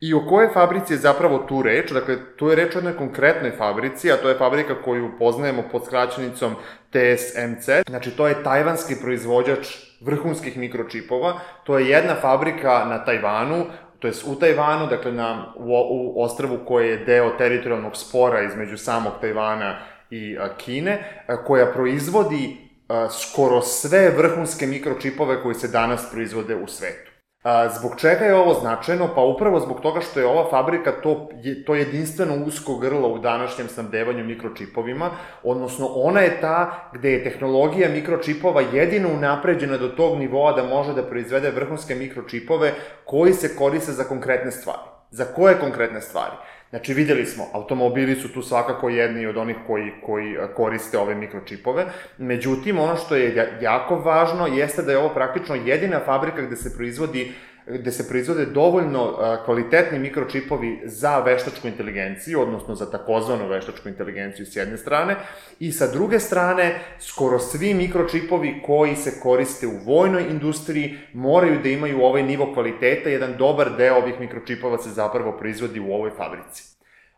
I o kojoj fabrici je zapravo tu reč? Dakle, tu je reč o jednoj konkretnoj fabrici, a to je fabrika koju poznajemo pod skraćenicom T S M C. Znači, to je tajvanski proizvođač vrhunskih mikročipova. To je jedna fabrika na Tajvanu, to je u Tajvanu, dakle na, u, u ostrvu koje je deo teritorijalnog spora između samog Tajvana i a, Kine, a, koja proizvodi a, skoro sve vrhunske mikročipove koji se danas proizvode u svetu. A, zbog čega je ovo značajno? Pa upravo zbog toga što je ova fabrika to, je, to jedinstveno usko grlo u današnjem snabdevanju mikročipovima, odnosno ona je ta gde je tehnologija mikročipova jedino unapređena do tog nivoa da može da proizvede vrhunske mikročipove koji se koriste za konkretne stvari. Za koje konkretne stvari? Znači, vidjeli smo, automobili su tu svakako jedni od onih koji, koji koriste ove mikročipove, međutim, ono što je jako važno jeste da je ovo praktično jedina fabrika gde se proizvodi gde se proizvode dovoljno kvalitetni mikročipovi za veštačku inteligenciju, odnosno za takozvanu veštačku inteligenciju s jedne strane, i sa druge strane, skoro svi mikročipovi koji se koriste u vojnoj industriji moraju da imaju ovaj nivo kvaliteta, jedan dobar deo ovih mikročipova se zapravo proizvodi u ovoj fabrici.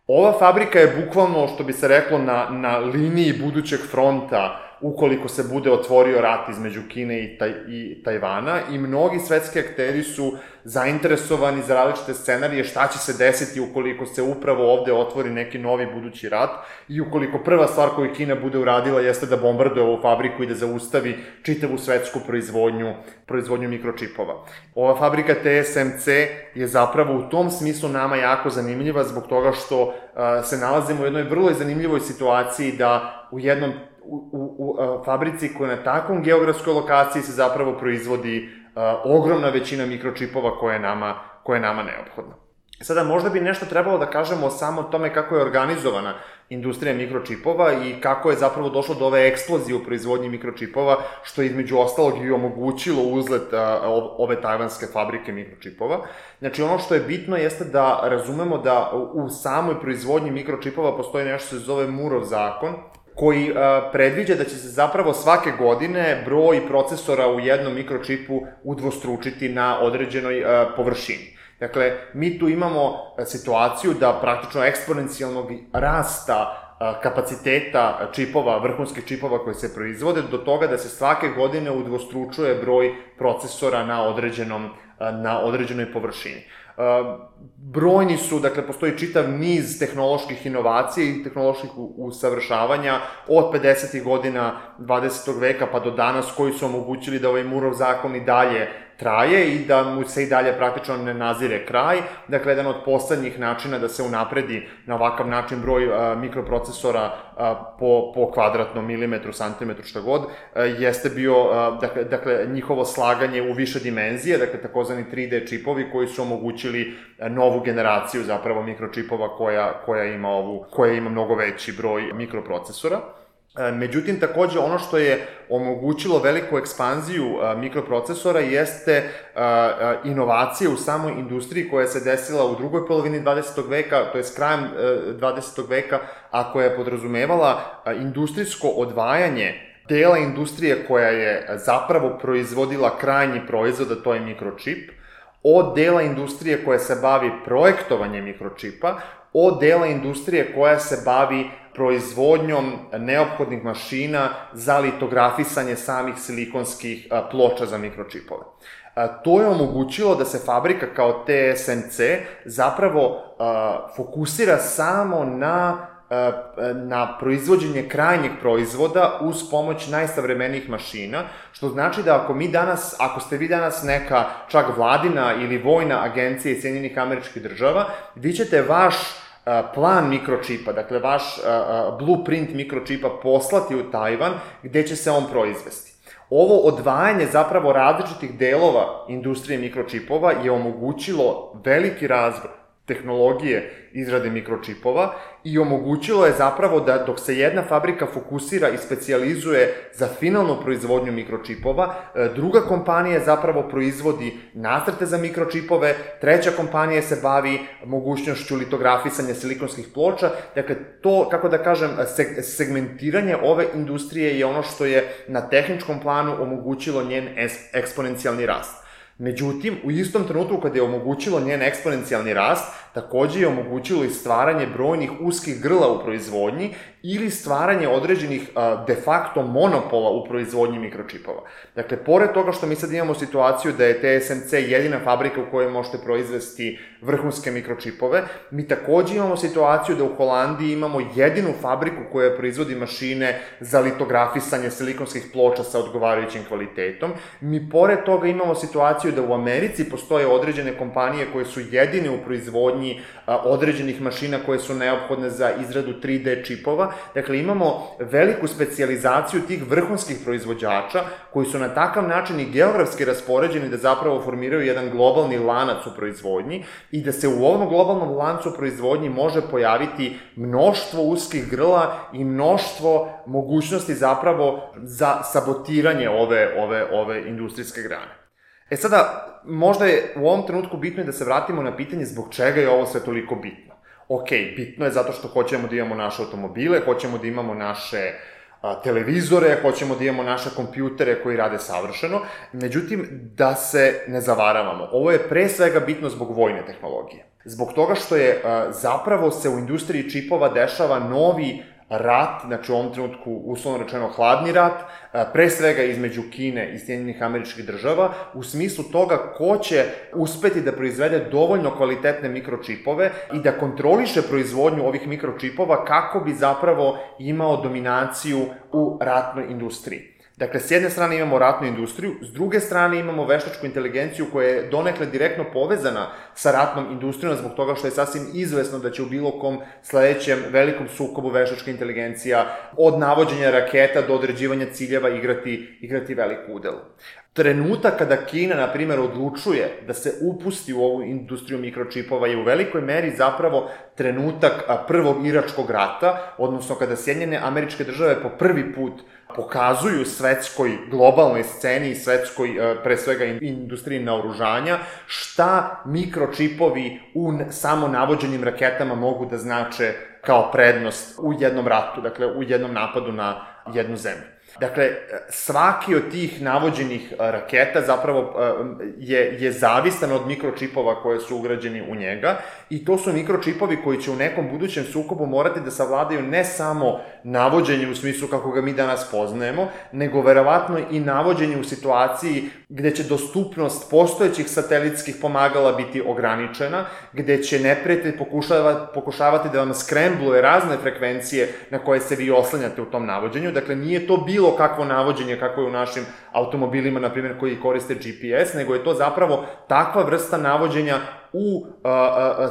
Ova fabrika je bukvalno, što bi se reklo, na, na liniji budućeg fronta ukoliko se bude otvorio rat između Kine i, taj, i Tajvana, i mnogi svetski akteri su zainteresovani za različite scenarije šta će se desiti ukoliko se upravo ovde otvori neki novi budući rat i ukoliko prva stvar koju Kina bude uradila jeste da bombarduje ovu fabriku i da zaustavi čitavu svetsku proizvodnju, proizvodnju mikročipova. Ova fabrika T S M C je zapravo u tom smislu nama jako zanimljiva zbog toga što uh, se nalazimo u jednoj vrlo zanimljivoj situaciji da u jednom U, u, u fabrici koja na takvom geografskoj lokaciji se zapravo proizvodi uh, ogromna većina mikročipova koja je nama, koja je nama neophodna. Sada, možda bi nešto trebalo da kažemo samo o tome kako je organizovana industrija mikročipova i kako je zapravo došlo do ove eksplozije u proizvodnji mikročipova, što je između ostalog i omogućilo uzlet a, ove tajvanske fabrike mikročipova. Znači, ono što je bitno jeste da razumemo da u samoj proizvodnji mikročipova postoji nešto što se zove Moorov zakon, koji a, predviđa da će se zapravo svake godine broj procesora u jednom mikročipu udvostručiti na određenoj a, površini. Dakle, mi tu imamo situaciju da praktično eksponencijalnog rasta kapaciteta čipova, vrhunskih čipova koji se proizvode, do toga da se svake godine udvostručuje broj procesora na određenom, na određenoj površini. Brojni su, dakle, postoji čitav niz tehnoloških inovacija i tehnoloških usavršavanja od pedesetih godina dvadesetog veka pa do danas, koji su omogućili da ovaj Moorov zakon i dalje traje i da mu se i dalje praktično ne nazire kraj. Dakle, jedan od poslednjih načina da se unapredi na ovakav način broj a, mikroprocesora a, po, po kvadratnom milimetru, santimetru, šta god, a, jeste bio, a, dakle, dakle, njihovo slaganje u više dimenzije, dakle, takozvani tri D čipovi koji su omogućili novu generaciju zapravo mikročipova koja, koja, ima ovu, koja ima mnogo veći broj mikroprocesora. Međutim, takođe, ono što je omogućilo veliku ekspanziju mikroprocesora jeste inovacije u samoj industriji koja se desila u drugoj polovini dvadesetog veka, to je s krajem dvadesetog veka, a koja je podrazumevala industrijsko odvajanje dela industrije koja je zapravo proizvodila krajnji proizvod, a to je mikročip, od dela industrije koja se bavi projektovanjem mikročipa, od dela industrije koja se bavi proizvodnjom neophodnih mašina za litografisanje samih silikonskih ploča za mikročipove. To je omogućilo da se fabrika kao T S M C zapravo fokusira samo na na proizvođenje krajnjeg proizvoda uz pomoć najsavremenijih mašina, što znači da ako mi danas, ako ste vi danas neka čak vladina ili vojna agencija iz Sjedinjenih Američkih Država, vi ćete vaš plan mikročipa, dakle vaš blueprint mikročipa poslati u Tajvan gde će se on proizvesti. Ovo odvajanje zapravo različitih delova industrije mikročipova je omogućilo veliki razvoj tehnologije izrade mikročipova i omogućilo je zapravo da dok se jedna fabrika fokusira i specijalizuje za finalnu proizvodnju mikročipova, druga kompanija zapravo proizvodi nacrte za mikročipove, treća kompanija se bavi mogućnošću litografisanja silikonskih ploča. Dakle, to, kako da kažem, segmentiranje ove industrije je ono što je na tehničkom planu omogućilo njen eksponencijalni rast. Međutim, u istom trenutku kada je omogućilo njen eksponencijalni rast, takođe je omogućilo i stvaranje brojnih uskih grla u proizvodnji ili stvaranje određenih de facto monopola u proizvodnji mikročipova. Dakle, pored toga što mi sad imamo situaciju da je T S M C jedina fabrika u kojoj možete proizvesti vrhunske mikročipove, mi takođe imamo situaciju da u Holandiji imamo jedinu fabriku koja proizvodi mašine za litografisanje silikonskih ploča sa odgovarajućim kvalitetom. Mi pored toga imamo situaciju da u Americi postoje određene kompanije koje su jedine u proizvodnji određenih mašina koje su neophodne za izradu tri D čipova. Dakle, imamo veliku specijalizaciju tih vrhunskih proizvođača koji su na takav način i geografski raspoređeni da zapravo formiraju jedan globalni lanac u proizvodnji i da se u ovom globalnom lancu proizvodnji može pojaviti mnoštvo uskih grla i mnoštvo mogućnosti zapravo za sabotiranje ove, ove, ove industrijske grane. E sada, možda je u ovom trenutku bitno da se vratimo na pitanje zbog čega je ovo sve toliko bitno. Ok, bitno je zato što hoćemo da imamo naše automobile, hoćemo da imamo naše televizore, hoćemo da imamo naše kompjutere koji rade savršeno, međutim, da se ne zavaravamo. Ovo je pre svega bitno zbog vojne tehnologije. Zbog toga što je zapravo se u industriji čipova dešava novi rat, znači u ovom trenutku uslovno rečeno hladni rat, pre svega između Kine i Sjedinjenih Američkih Država, u smislu toga ko će uspeti da proizvede dovoljno kvalitetne mikročipove i da kontroliše proizvodnju ovih mikročipova kako bi zapravo imao dominaciju u ratnoj industriji. Dakle, s jedne strane imamo ratnu industriju, s druge strane imamo veštačku inteligenciju koja je donekle direktno povezana sa ratnom industrijom zbog toga što je sasvim izvesno da će u bilo kom sledećem velikom sukobu veštačka inteligencija od navođenja raketa do određivanja ciljeva igrati, igrati veliku udelu. Trenutak kada Kina, na primjer, odlučuje da se upusti u ovu industriju mikročipova je u velikoj meri zapravo trenutak prvog Iračkog rata, odnosno kada Sjedinjene Američke Države po prvi put pokazuju svetskoj globalnoj sceni i svetskoj, pre svega, industriji naoružanja, šta mikročipovi u samo navođenim raketama mogu da znače kao prednost u jednom ratu, dakle u jednom napadu na jednu zemlju. Dakle, svaki od tih navođenih raketa zapravo je, je zavistan od mikročipova koje su ugrađeni u njega i to su mikročipovi koji će u nekom budućem sukobu morati da savladaju ne samo navođenje u smislu kako ga mi danas poznajemo, nego verovatno i navođenje u situaciji gde će dostupnost postojećih satelitskih pomagala biti ograničena, gde će neprijatelj pokušavati da vam skrembluje razne frekvencije na koje se vi oslanjate u tom navođenju. Dakle, nije to bilo kakvo navođenje kako je u našim automobilima, na primjer, koji koriste G P S, nego je to zapravo takva vrsta navođenja u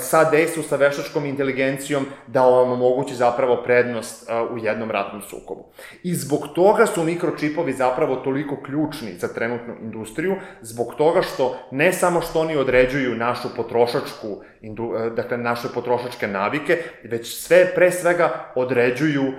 sadejstvu sa veštačkom inteligencijom da vam omogući zapravo prednost u jednom ratnom sukobu. I zbog toga su mikročipovi zapravo toliko ključni za trenutnu industriju, zbog toga što ne samo što oni određuju našu potrošačku, dakle naše potrošačke navike, već sve pre svega određuju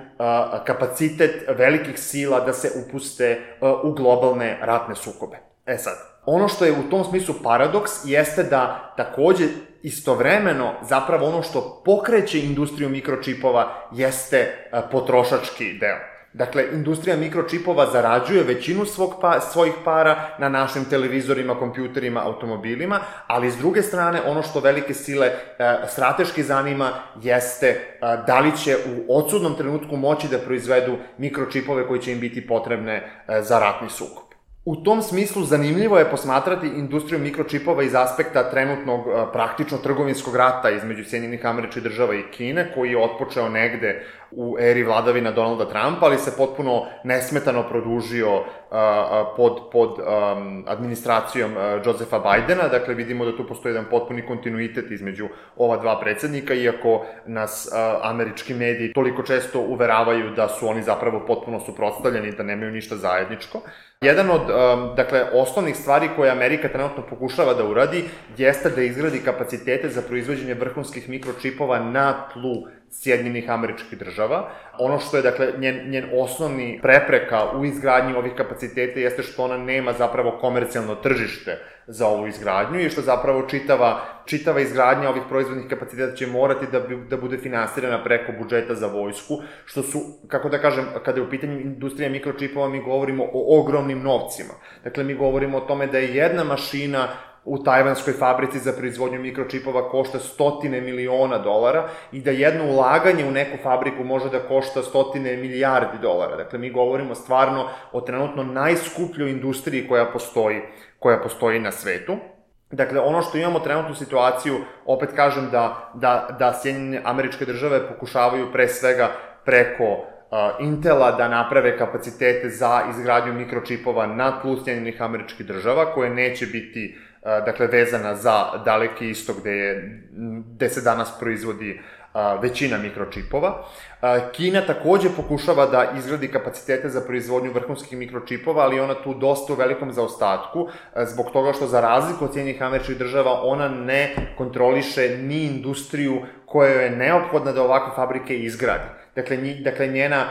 kapacitet velikih sila da se upuste u globalne ratne sukobe. E sad, ono što je u tom smislu paradoks jeste da takođe istovremeno zapravo ono što pokreće industriju mikročipova jeste potrošački deo. Dakle, industrija mikročipova zarađuje većinu svog pa, svojih para na našim televizorima, kompjuterima, automobilima, ali s druge strane ono što velike sile e, strateški zanima jeste e, da li će u odsudnom trenutku moći da proizvedu mikročipove koji će im biti potrebne e, za ratni sukob. U tom smislu zanimljivo je posmatrati industriju mikročipova iz aspekta trenutnog praktično trgovinskog rata između Sjedinjenih Američkih Država i Kine, koji je otpočeo negde u eri vladavina Donalda Trumpa, ali se potpuno nesmetano produžio uh, pod, pod um, administracijom uh, Josepha Bidena. Dakle, vidimo da tu postoji jedan potpuni kontinuitet između ova dva predsednika, iako nas uh, američki mediji toliko često uveravaju da su oni zapravo potpuno suprotstavljeni, da nemaju ništa zajedničko. Jedan od, um, dakle, osnovnih stvari koje Amerika trenutno pokušava da uradi jeste da izgradi kapacitete za proizvođenje vrhunskih mikročipova na tlu Sjedinjenih Američkih Država. Ono što je, dakle, njen, njen osnovni prepreka u izgradnji ovih kapaciteta jeste što ona nema zapravo komercijalno tržište za ovu izgradnju i što zapravo čitava, čitava izgradnja ovih proizvodnih kapaciteta će morati da, da bude finansirana preko budžeta za vojsku, što su, kako da kažem, kada je u pitanju industrija mikročipova, mi govorimo o ogromnim novcima. Dakle, mi govorimo o tome da je jedna mašina u tajvanskoj fabrici za proizvodnju mikročipova košta stotine miliona dolara i da jedno ulaganje u neku fabriku može da košta stotine milijardi dolara. Dakle, mi govorimo stvarno o trenutno najskupljoj industriji koja postoji, koja postoji na svetu. Dakle, ono što imamo trenutnu situaciju, opet kažem da, da, da Sjedinjene Američke Države pokušavaju pre svega preko uh, Intela da naprave kapacitete za izgradnju mikročipova na tlu Sjedinjenih Američkih Država, koje neće biti dakle, vezana za Daleki istok gde, je, gde se danas proizvodi a, većina mikročipova. A, Kina takođe pokušava da izgradi kapacitete za proizvodnju vrhunskih mikročipova, ali ona tu dosta u velikom zaostatku, a, zbog toga što za razliku od Sjedinjenih Američkih Država ona ne kontroliše ni industriju koja je neophodna da ovakve fabrike izgradi. Dakle, nji, dakle njena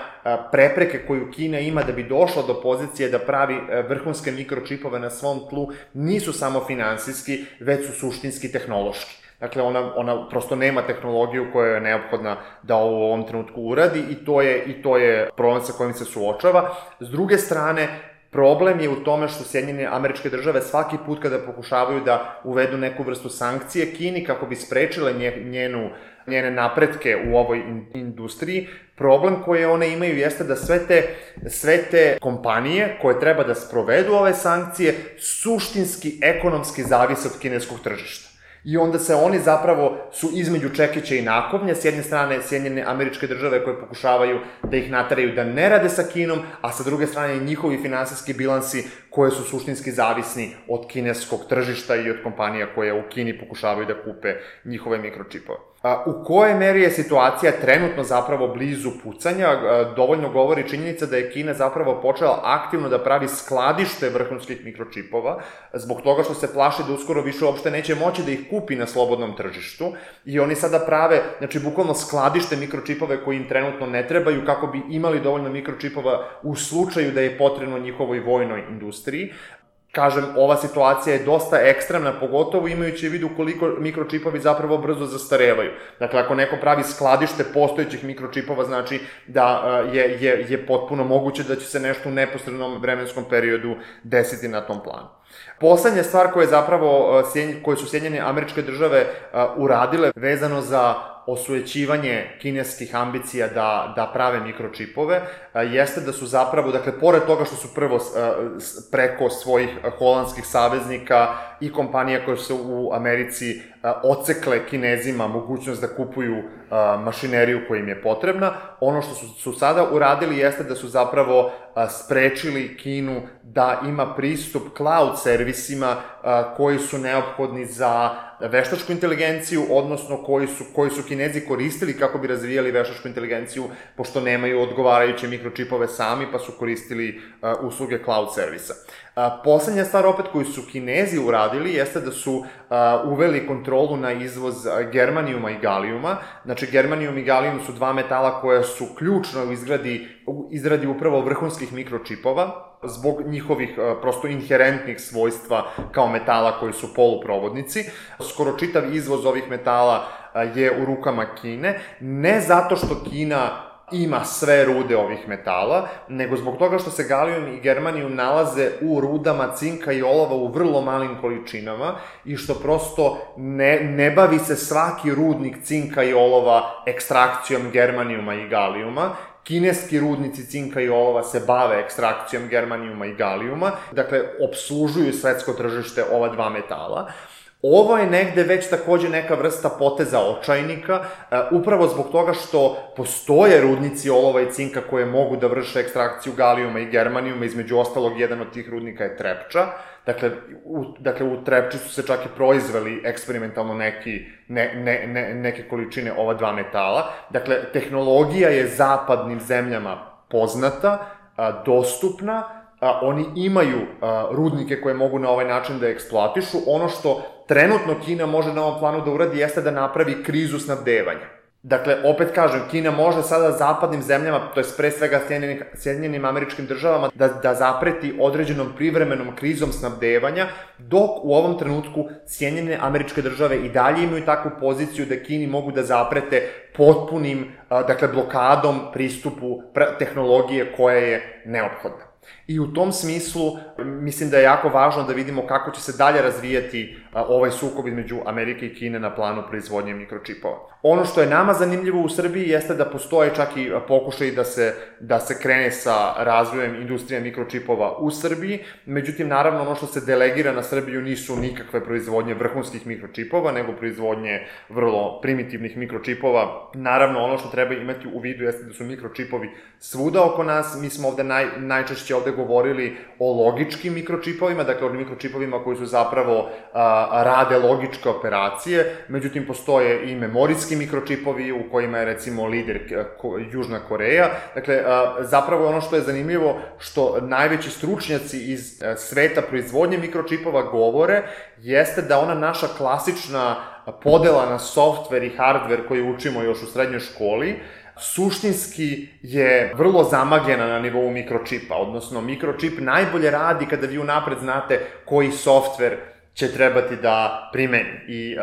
prepreke koju Kina ima da bi došla do pozicije da pravi vrhunske mikročipove na svom tlu nisu samo finansijski, već su suštinski tehnološki. Dakle, ona, ona prosto nema tehnologiju koja je neophodna da ovo u ovom trenutku uradi i to je, i to je problem sa kojim se suočava. S druge strane, problem je u tome što Sjedinjene Američke Države svaki put kada pokušavaju da uvedu neku vrstu sankcije Kini kako bi sprečile njenu, njene napretke u ovoj industriji, problem koje one imaju jeste da sve te, sve te kompanije koje treba da sprovedu ove sankcije suštinski ekonomski zavise od kineskog tržišta. I onda se oni zapravo su između čekića i nakovnja, s jedne strane Sjedinjene Američke Države koje pokušavaju da ih nateraju da ne rade sa Kinom, a sa druge strane njihovi finansijski bilansi koje su suštinski zavisni od kineskog tržišta i od kompanija koje u Kini pokušavaju da kupe njihove mikročipove. U kojoj meri je situacija trenutno zapravo blizu pucanja, dovoljno govori činjenica da je Kina zapravo počela aktivno da pravi skladište vrhunskih mikročipova, zbog toga što se plaši da uskoro više uopšte neće moći da ih kupi na slobodnom tržištu i oni sada prave, znači, bukvalno skladište mikročipove koji im trenutno ne trebaju kako bi imali dovoljno mikročipova u slučaju da je potrebno njihovoj vojnoj industriji. Kažem, ova situacija je dosta ekstremna, pogotovo imajući u vidu koliko mikročipovi zapravo brzo zastarevaju. Dakle, ako neko pravi skladište postojećih mikročipova, znači da je, je, je potpuno moguće da će se nešto u neposrednom vremenskom periodu desiti na tom planu. Poslednja stvar koja je zapravo, koje su Sjedinjene Američke Države uradile vezano za osujećivanje kineskih ambicija da, da prave mikročipove, jeste da su zapravo, dakle, pored toga što su prvo preko svojih holandskih saveznika i kompanija koje su u Americi ocekle Kinezima mogućnost da kupuju mašineriju koja im je potrebna, ono što su, su sada uradili jeste da su zapravo sprečili Kinu da ima pristup cloud servisima koji su neophodni za veštačku inteligenciju, odnosno koji su, koji su Kinezi koristili kako bi razvijali veštačku inteligenciju, pošto nemaju odgovarajuće mikročipove sami, pa su koristili uh, usluge cloud servisa. Uh, poslednja stvar opet koju su Kinezi uradili jeste da su uh, uveli kontrolu na izvoz germanijuma i galijuma. Znači, germanijum i galijum su dva metala koja su ključno u izgradi, u izradi upravo vrhunskih mikročipova, zbog njihovih prosto inherentnih svojstva kao metala koji su poluprovodnici. Skoro čitav izvoz ovih metala je u rukama Kine, ne zato što Kina ima sve rude ovih metala, nego zbog toga što se galijum i germanijum nalaze u rudama cinka i olova u vrlo malim količinama i što prosto ne, ne bavi se svaki rudnik cinka i olova ekstrakcijom germanijuma i galijuma. Kineski rudnici cinka i olova se bave ekstrakcijom germanijuma i galijuma, dakle, opslužuju svetsko tržište ova dva metala. Ovo je negde već takođe neka vrsta poteza očajnika, upravo zbog toga što postoje rudnici olova i cinka koje mogu da vrše ekstrakciju galijuma i germanijuma, između ostalog jedan od tih rudnika je Trepča. Dakle, u, dakle, u Trepči su se čak i proizveli eksperimentalno neki, ne, ne, ne, neke količine ova dva metala. Dakle, tehnologija je zapadnim zemljama poznata, a, dostupna, a, oni imaju a, rudnike koje mogu na ovaj način da eksploatišu. Ono što trenutno Kina može na ovom planu da uradi jeste da napravi krizu snabdevanja. Dakle, opet kažem, Kina može sada zapadnim zemljama, to je pre svega Sjedinjenim Američkim Državama, da, da zapreti određenom privremenom krizom snabdevanja, dok u ovom trenutku Sjedinjene Američke Države i dalje imaju takvu poziciju da Kini mogu da zaprete potpunim, dakle, blokadom pristupu tehnologije koja je neophodna. I u tom smislu mislim da je jako važno da vidimo kako će se dalje razvijati ovaj sukob između Amerike i Kine na planu proizvodnje mikročipova. Ono što je nama zanimljivo u Srbiji jeste da postoje čak i pokušaj da se, da se krene sa razvojem industrije mikročipova u Srbiji, međutim, naravno, ono što se delegira na Srbiju nisu nikakve proizvodnje vrhunskih mikročipova, nego proizvodnje vrlo primitivnih mikročipova. Naravno, ono što treba imati u vidu jeste da su mikročipovi svuda oko nas. Mi smo ovde naj, najčešće ovde govorili o logičkim mikročipovima, dakle o mikročipovima koji su zapravo a, rade logičke operacije, međutim postoje i memorijski mikročipovi u kojima je recimo lider ko, Južna Koreja. Dakle, a, zapravo ono što je zanimljivo, što najveći stručnjaci iz a, sveta proizvodnje mikročipova govore, jeste da ona naša klasična podela na softver i hardver koji učimo još u srednjoj školi suštinski je vrlo zamagljena na nivou mikročipa, odnosno mikročip najbolje radi kada vi unapred znate koji softver će trebati da primeni. I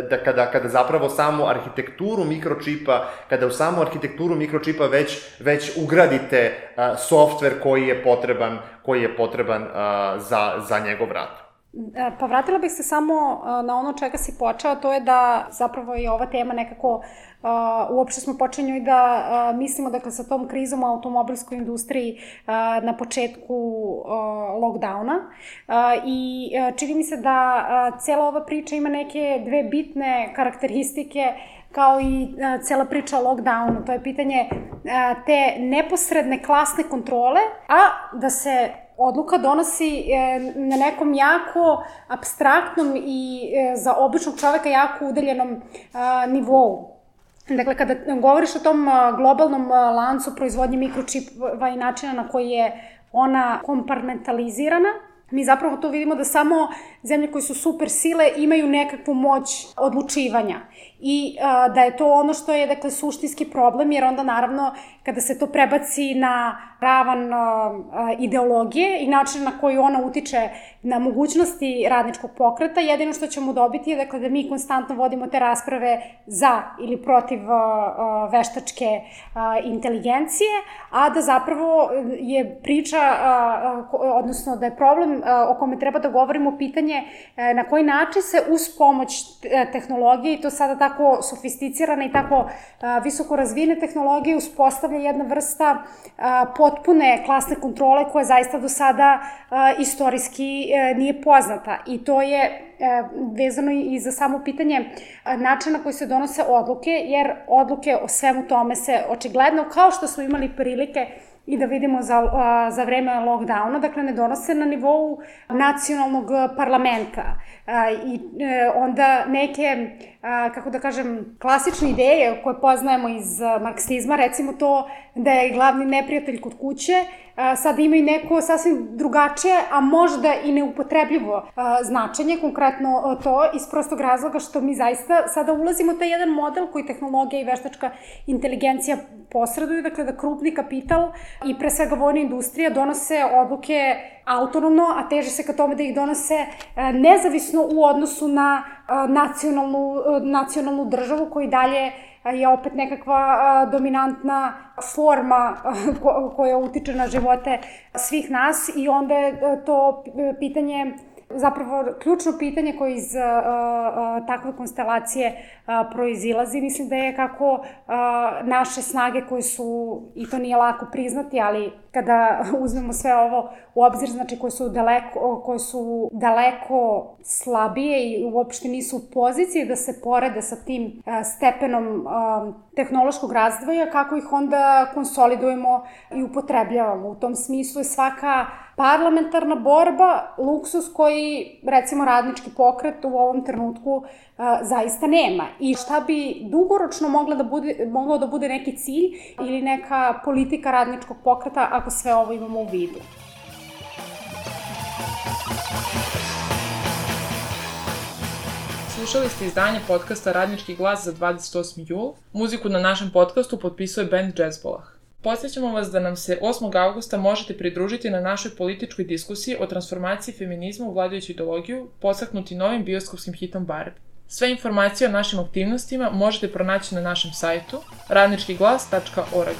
da kada, kada zapravo samu arhitekturu mikročipa, kada u samu arhitekturu mikročipa već, već ugradite softver koji je potreban, koji je potreban za, za njegov rad. Pa vratila bih se samo na ono čega si počeo, to je da zapravo je ova tema nekako, uopšte smo počeli njoj da mislimo, dakle, sa tom krizom u automobilskoj industriji na početku lockdowna i čini mi se da cela ova priča ima neke dve bitne karakteristike kao i cela priča o lockdownu. To je pitanje te neposredne klasne kontrole, a da se odluka donosi na nekom jako apstraktnom i za običnog čoveka jako udaljenom nivou. Dakle, kada govoriš o tom globalnom lancu proizvodnje mikročipova i načina na koji je ona kompartmentalizirana, mi zapravo to vidimo da samo zemlje koje su super sile imaju nekakvu moć odlučivanja i a, da je to ono što je, dakle, suštinski problem, jer onda naravno kada se to prebaci na ravan a, a, ideologije i način na koji ona utiče na mogućnosti radničkog pokreta, jedino što ćemo dobiti je, dakle, da mi konstantno vodimo te rasprave za ili protiv a, a, veštačke a, inteligencije, a da zapravo je priča, a, a, odnosno da je problem a, o kome treba da govorimo pitanje a, na koji način se uz pomoć tehnologije, i to sada tako sofisticirane i tako a, visoko razvijene tehnologije, uspostavlja jedna vrsta a, potpune klasne kontrole koja zaista do sada a, istorijski a, nije poznata. I to je a, vezano i za samo pitanje a, načina na koji se donose odluke, jer odluke o svemu tome se očigledno, kao što smo imali prilike i da vidimo za, za vreme lockdowna, dakle, ne donose na nivou nacionalnog parlamenta. I onda neke, kako da kažem, klasične ideje koje poznajemo iz marksizma, recimo to da je glavni neprijatelj kod kuće, sad imaju neko sasvim drugačije, a možda i neupotrebljivo značenje, konkretno to iz prostog razloga što mi zaista sada ulazimo u taj jedan model koji tehnologija i veštačka inteligencija posreduju, dakle, da krupni kapital i pre svega vojna industrija donose odluke autonomno, a teže se ka tome da ih donose nezavisno u odnosu na nacionalnu, nacionalnu državu koji dalje je opet nekakva dominantna forma koja utiče na živote svih nas i onda je to pitanje, zapravo ključno pitanje koje iz uh, uh, takve konstelacije uh, proizilazi, mislim da je kako uh, naše snage koje su, i to nije lako priznati, ali kada uzmemo sve ovo u obzir, znači koje su daleko, koje su daleko slabije i uopšte nisu u poziciji da se porede sa tim uh, stepenom uh, tehnološkog razvoja, kako ih onda konsolidujemo i upotrebljavamo. U tom smislu je svaka parlamentarna borba luksus koji, recimo, radnički pokret u ovom trenutku uh, zaista nema. I šta bi dugoročno moglo da bude, moglo da bude neki cilj ili neka politika radničkog pokreta ako sve ovo imamo u vidu. Slušali ste izdanje podcasta Radnički glas za dvadeset osmi jul. Muziku na našem podcastu potpisuje band Jazzbolah. Podsjećamo vas da nam se osmog avgusta možete pridružiti na našoj političkoj diskusiji o transformaciji feminizma u vladajuću ideologiju, podstaknuti novim bioskopskim hitom Barbie. Sve informacije o našim aktivnostima možete pronaći na našem sajtu radnički glas tačka org.